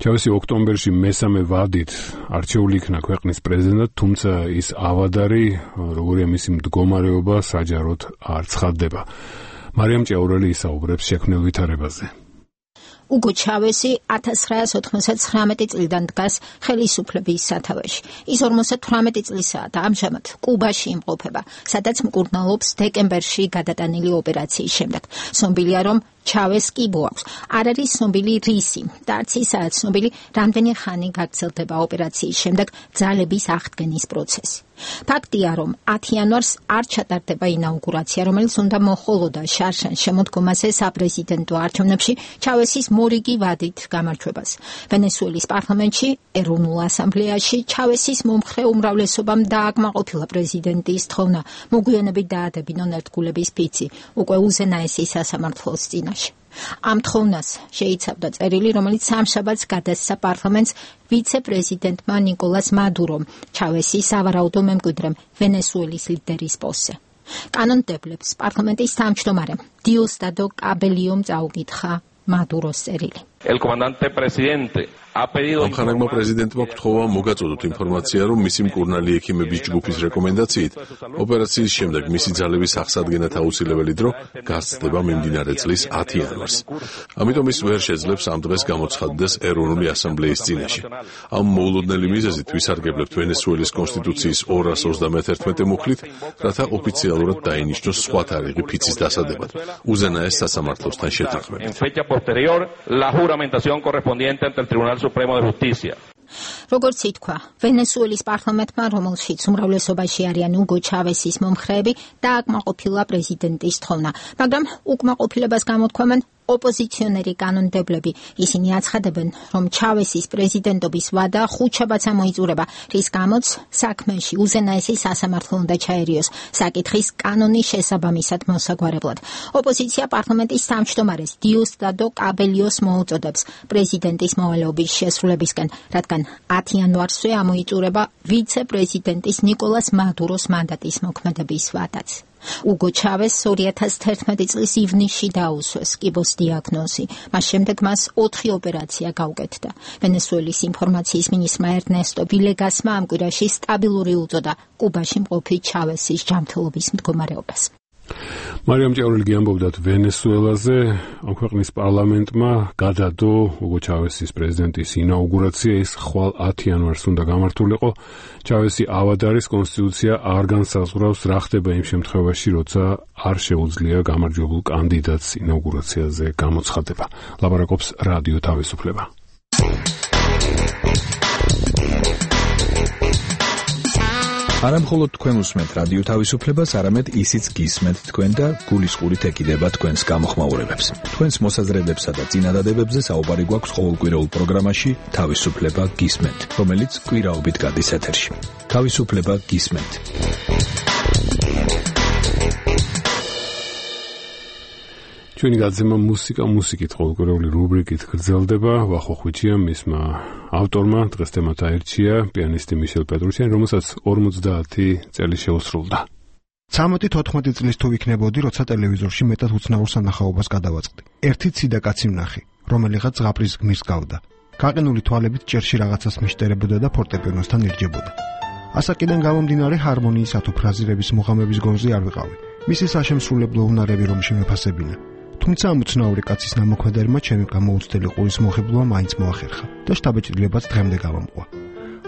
ჩავესი ოქტომბერში მესამე ვადით არჩეული იქნა ქვეყნის პრეზიდენტად, თუმცა ის ავადარი, როგორია მისი მდგომარეობა, საჯაროდ არ ცხადდება. მარიამ ჭეურელი ისაუბრებს შექმნილ ვითარებაზე. უგო ჩავესი 1999 წლიდან დგას ხელისუფლების სათავეში. ის 58 წლისაა და ამჟამად კუბაში იმყოფება, სადაც მკურნალობს დეკემბერში გადატანილი ოპერაციის შემდეგ. ცნობილია, რომ ჩავეს კიბო აქვს. არ არის ცნობილი რისი და არც ისაა ცნობილი, რამდენი ხანი გაგრძელდება ოპერაციის შემდეგ ძალების აღდგენის პროცესი. ფაქტია, რომ 10 იანვარს არ ჩატარდება ინაუგურაცია, რომელიც უნდა მოჰყოლოდა შარშან შემოდგომაზე საპრეზიდენტო არჩევნებში ჩავესის მორიგი ვადით გამარჯვებას. ვენესუელის პარლამენტში, ეროვნულ ასამბლეაში ჩავესის მომხრე უმრავლესობამ დააკმაყოფილა პრეზიდენტის თხოვნა მოგვიანებით დაადებინონ ერთგულების ფიცი უკვე უზენაესი სასამართლოს წინაშე. ამ თხოვნას შეიცავდა წერილი, რომელიც სამშაბათს გადასცა პარლამენტს ვიცე-პრეზიდენტმა ნიკოლას მადურომ, ჩავესის სავარაუდო მემკვიდრემ ვენესუელის ლიდერის პოსტზე. კანონმდებლებს პარლამენტის თავმჯდომარემ დიოსტადო კაბელიომ წაუკითხა მადუროს წერილი. El comandante presidente ამხანაგმა პრეზიდენტმა გთხოვა მოგაწოდოთ ინფორმაცია, რომ მისი მკურნალი ექიმების ჯგუფის რეკომენდაციით ოპერაციის შემდეგ მისი ძალების აღსადგენად აუცილებელი დრო გასცდება მიმდინარე წლის 10 იანვარს. ამიტომ ის ვერ შეძლებს ამ დღეს გამოცხადდეს ეროვნული ასამბლეის წინაშე. ამ მოულოდნელი მიზეზით ვისარგებლებთ ვენესუელის კონსტიტუციის 231 მუხლით, რათა ოფიციალურად დაინიშნოს სხვა თარიღი ფიცის დასადებად, უზენაეს სასამართლოსთან შეთანხმებით. correspondiente ante el Tribunal Supremo de Justicia. როგორც ითქვა, ვენესუელის პარლამენტმა, რომელშიც უმრავლესობაში არიან უგო ჩავესის მომხრეები, დააკმაყოფილა პრეზიდენტის თხოვნა, მაგრამ უკმაყოფილებას გამოთქვამენ ოპოზიციონერი კანონმდებლები. ისინი აცხადებენ, რომ ჩავესის პრეზიდენტობის ვადა ხუთშაბათს ამოიწურება, რის გამოც საქმეში უზენაესი სასამართლო უნდა ჩაერიოს საკითხის კანონის შესაბამისად მოსაგვარებლად. ოპოზიცია პარლამენტის თავმჯდომარეს დიოსტადო კაბელიოს მოუწოდებს პრეზიდენტის მოვალეობის შესრულებისკენ, რადგან 10 იანვარსვე ამოიწურება ვიცე-პრეზიდენტის ნიკოლას მადუროს მანდატის მოქმედების ვადაც. უგო ჩავეს 2011 წლის ივნისში დაუსვეს კიბოს დიაგნოზი. მას შემდეგ მას 4 ოპერაცია გაუკეთდა. ვენესუელის ინფორმაციის მინისტრმა ერნესტო ვილეგასმა ამ კვირაში სტაბილური უწოდა კუბაში მყოფი ჩავესის ჯანმრთელობის მდგომარეობას. მარიამ ჭეურელი ამბობდათ ვენესუელაზე. ამ ქვეყნის პარლამენტმა გადადო უგო ჩავესის პრეზიდენტის ინაუგურაცია, ის ხვალ 10 იანვარს უნდა გამართულიყო. ჩავესი ავადარის კონსტიტუცია არ განსაზღვრავს რა ხდება იმ შემთხვევაში, როცა არ შეუძლია გამარჯვებულ კანდიდატს ინაუგურაციაზე გამოცხადება. ლაპარაკობს რადიო თავისუფლება. არამხოლოდ თქვენ უსმენთ რადიო თავისუფლებას, არამედ ისიც გისმენთ თქვენ და გულისყურით ეკიდება თქვენს გამოხმაურებებს. თქვენს მოსაზრებებსა და წინადადებებზე საუბარი გვაქვს ყოველკვირეულ პროგრამაში თავისუფლება გისმენთ, რომელიც კვირაობით გადის ეთერში. თავისუფლება გისმენთ. ჩვენი გაზემა მუსიკით ყოველკვირეული რუბრიკით გრძელდება. ვახოხვიჩია მისმა ავტორმა დღეს თემად აირჩია პიანისტი მიშელ პეტრუშიანი, რომელსაც 50 წელი შეუსრულდა. 13-14 წლის თუ ვიქნებოდი, როცა ტელევიზორში მეტად უცნაურ სანახაობას გადავაწყდი. ერთი ციდა კაცი ვნახე, რომელიღაც ზღაპრის გმირს გავდა. გაყინული თვალებით ჭერში რაღაცას მიშტერებოდა და ფორტეპიანოსთან ირჯებოდა. ასაკიდან გამომდინარე ჰარმონიის თუ ფრაზირების მუღამების გონზე არ ვიყავი. მისი საშემსრულებლო უნარები რომ შემეფასებინა. თუმცა ამ უცნაური კაცის ნამოქმედებმა ჩემი გამოუცდელი ყურის მოხიბლვა მაინც მოახერხა და შთაბეჭდილებას დღემდე გავამყვა.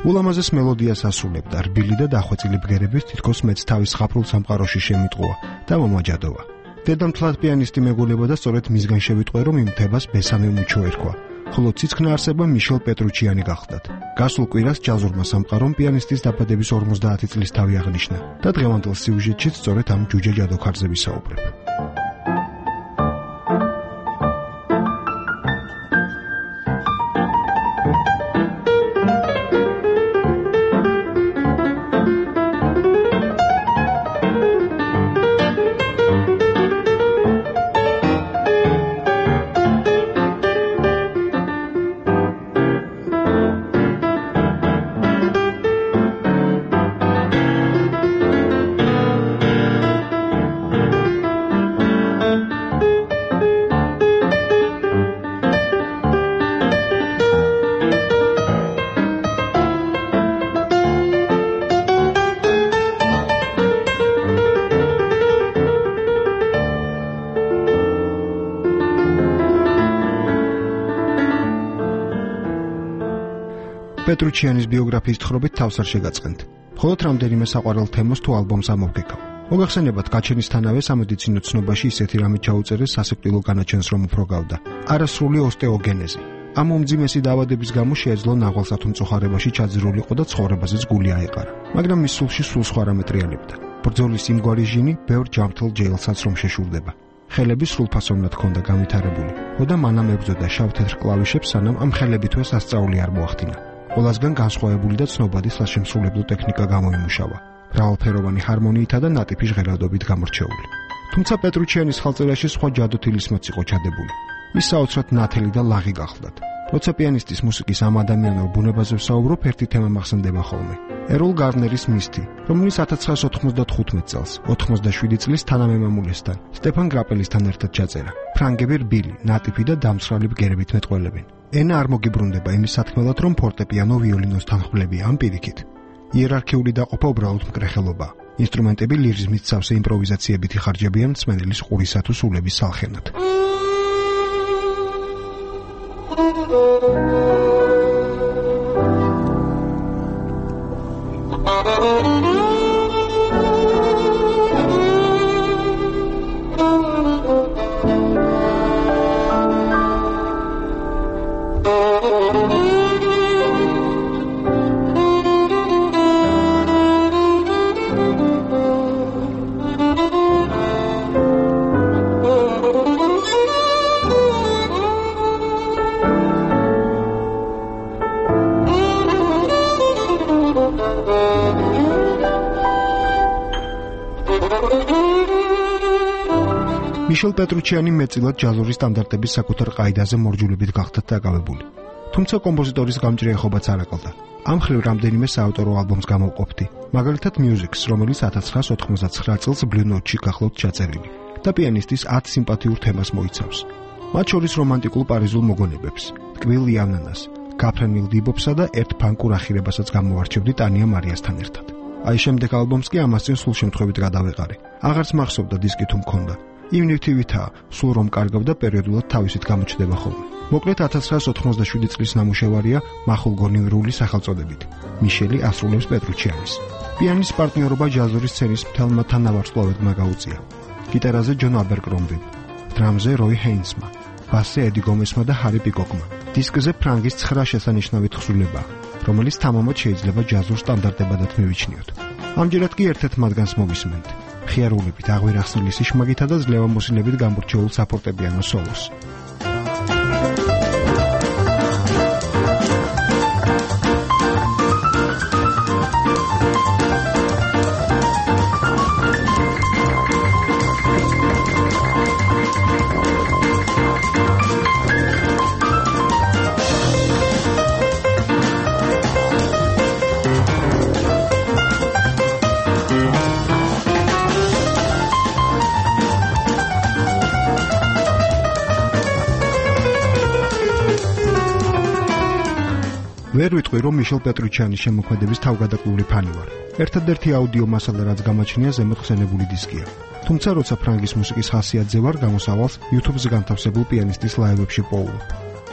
ულამაზეს მელოდიას ასრულებდა, რბილი და დახვეწილი ბგერებით თითქოს მეც თავის ხაფრულ სამყაროში შემიტყუა და მომაჯადოვა. დედამთლად პიანისტი მეგონება და სწორედ მისგან შევიტყვე, რომ იმ მთებას ბესამე მუჩო ერქვა. ხოლო ციცქნა არსება მიშელ პეტრუჩიანი გახლდათ. გასულ კვირას ჯაზურმა სამყარომ პიანისტის დაბადების 50 წლის თავი აღნიშნა და დღევანდელ სიუჟეტშიც სწორედ ამ ჯუჯა ჯადოქარზე ვისაუბრებ. პეტრუჩიანის ბიოგრაფიის თხრობით თავს არ შეგაწყენთ. მხოლოდ რამდენიმე საყვარელ თემას თუ ალბომს ამოვგეკავ. მოგახსენებათ, გაჩენისთანავე სამედიცინო ცნობაში ისეთი რამე ჩაუწერეს სასიკვდილო განაჩენს რომ უფრო გავდა. არასრული ოსტეოგენეზი. ამ უმძიმესი დაავადების გამო შეეძლო ნაღვალსათუ მწუხარებაში ჩაძირულიყო და ცხოვრებაზეც გული აეყარა. მაგრამ მის სულში სულ სხვა რამე ტრიალებდა. ბრძოლის იმგვარი ჟინი ბევრ ჯანმრთელ ჯეილსაც რომ შეშურდება. ხელები სრულფასოვნად ჰქონდა განვითარებული. ხოდა მანამ ებრძოდა შავ-თეთრ კლავიშებს, სანამ ამ ხელებითვე სასწაული არ მოახდინა. ყველასგან განსხვავებული და ცნობადი სასიმსრულებლო ტექნიკა გამოიმუშავა. მრავალფეროვანი ჰარმონიითა და ნატიფი ჟღერადობით გამორჩეული. თუმცა პეტრუჩიანის ხალწერაში სხვა ჯადოთილისმოც იყო ჩადებული. ის საოცრად ნათელი და ლაღი გახლდათ. როცა პიანისტის მუსიკის ამ ადამიანურ ბუნებაზე ვსაუბრობ, ერთი თემა მახსენდება ხოლმე. ეროლ გარნერის მისტი, რომელიც 1995 წელს, 87 წლის თანამემამულესთან, სტეფან გრაპელისთან ერთად ჩაწერა. ფრანგები რბილი, ნატიფი და დამცრალი ბგერებით მეტყველებენ. ენა არ მოგიბრუნდება იმის სათქმელად, რომ ფორტეპიანო ვიოლინოსთან ხმლებია ამ პირიქით. იერარქიული დაყოფა უბრალოდ მკრეხელობა. ინსტრუმენტები ლირიზმით სავსე იმპროვიზაციებით იხარჯებიან მსმენელის ყურისა თუ სულების სალხენად. მიშელ პეტრუჩიანი მეტწილად ჯაზური სტანდარტების საკუთარ ყაიდაზე მორჯულებით გახდათ დაკავებული. თუმცა კომპოზიტორის გამჭრიახობაც არ აკლდა. ამ ხრივ რამდენიმე საავტორო ალბომს გამოვყოფდი, მაგალითად Music-ს, რომელიც 1999 წელს Blue Note-ში გახლავთ ჩაწერილი და პიანისტის 10 სიმპათიურ თემას მოიცავს. მათ შორის რომანტიკულ პარიზულ მოგონებებს, ტკბილ იანანას, გაფრენილ დიბობსა და ერთ ფანკურ ახირებასაც გამოვარჩევდი ტანია მარიასთან ერთად. აი შემდეგ ალბომს კი ამას წინ სულ შემთხვევით გადავეყარე. აღარც მახსოვდა დისკი თუ მქონდა. იმ ნივთივითაა, სულ რომ კარგავდა პერიოდულად თავისით გამოჩნდება ხოლმე. მოკლედ 1997 წლის ნამუშევარია მახულგონივრული სახელწოდებით. მიშელი ასრულებს პეტრუჩიანის. პიანის პარტნიორობა ჯაზური სცენის მთელმა თანავარსკვლავედმა გაუწია. გიტარაზე ჯონ აბერკრომბი, დრამზე როი ჰეინსმა, ბასზე ედი გომესმა და ჰარი პიკოკმა. დისკზე ფრანგის 9 შესანიშნავი თხზულებაა, რომელიც თამამად შეიძლება ჯაზურ სტანდარტებადაც მივიჩნიოთ. ამჯერად კი ერთ-ერთ მათგანს მოვისმენთ. ხიარულებით აღვირახსნილი სიშმაგითა და ძლევამოსილებით გამორჩეულ საფორტეპიანო სოლოს. ვერ ვიტყვი, რომ მიშელ პეტრუჩიანის შემოქმედების თავგადაკლული ფანი ვარ. ერთადერთი აუდიო მასალა, რაც გამაჩნია, ზემოთ ხსენებული დისკია. თუმცა, როცა ფრანგის მუსიკის ხასიათზე ვარ, გამოსავალს YouTube-ზე განთავსებულ პიანისტის ლაივებში პოულობ.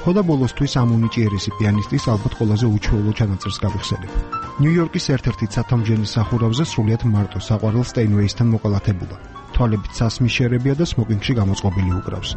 ხოდა ბოლოსთვის ამ უნიჭიერესი პიანისტის ალბათ ყველაზე უჩვეულო ჩანაწერს გავიხსენებ. ნიუ-იორკის ერთ-ერთი ცათამბჯენის სახურავზე სრულიად მარტო საყვარელ სტეინვეისთან მოყოლათებულა. თვალებით სასმის შერებია და სმოკინგში გამოწყობილი უკრავს.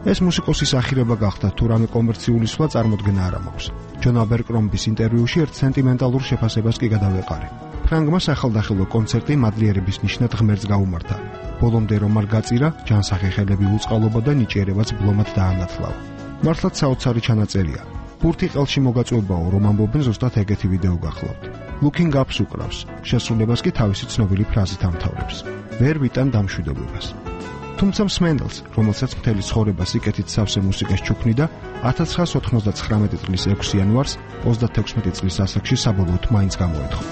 ეს მუსიკოსის ახირება გახდა, თუ რამე კომერციული სვლა წარმოდგენა არ მაქვს. ჯონ აბერკრომბის ინტერვიუში ერთ სენტიმენტალურ შეფასებას კი გადავეყარე. ფრანგმა სახელდახელო კონცერტი მადლიერების ნიშნად ღმერთს გაუმართა. ბოლომდე რომ არ გაწირა, ჯანსახელები უწყალობა და ნიჭიერებაც ბლომად დაანათლავა. მართლაც საოცარი ჩანაწერია. ბურთი ყელში მოგაწვევაო, რომ ამბობენ ზუსტად ეგეთი ვიდეო გახლავთ. Looking Up-ს უკრავს, შესრულებას კი თავისი ცნობილი ფრაზით ამთავრებს. ვერ ვიტან დამშვიდობებას. თუმცა მსმენელს, რომელსაც მთელი ცხოვრება სიკეთით სავსე მუსიკას ჩუქნიდა, 1999 წლის 6 იანვარს 36 წლის ასაკში საბოლოოდ მაინც გამოეთხო.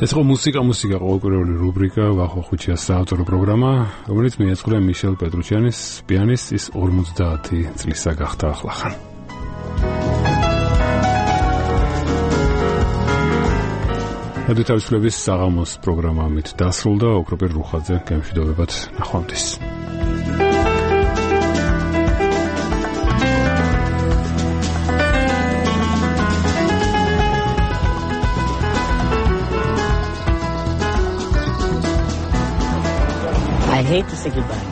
ეს იყო მუსიკა ყოველკვირეული რუბრიკა ვახო ხუჩიას საავტორო პროგრამა, რომელიც მიეძღვნა მიშელ პეტრუჩიანის პიანისტის 50 წლისა გახდა ახლახან. რადიო თავისუფლების საღამოს პროგრამა ამით დასრულდა. ოქროპერ რუხაძე, გემშვიდობებად, ნახვამდის. hate to say goodbye.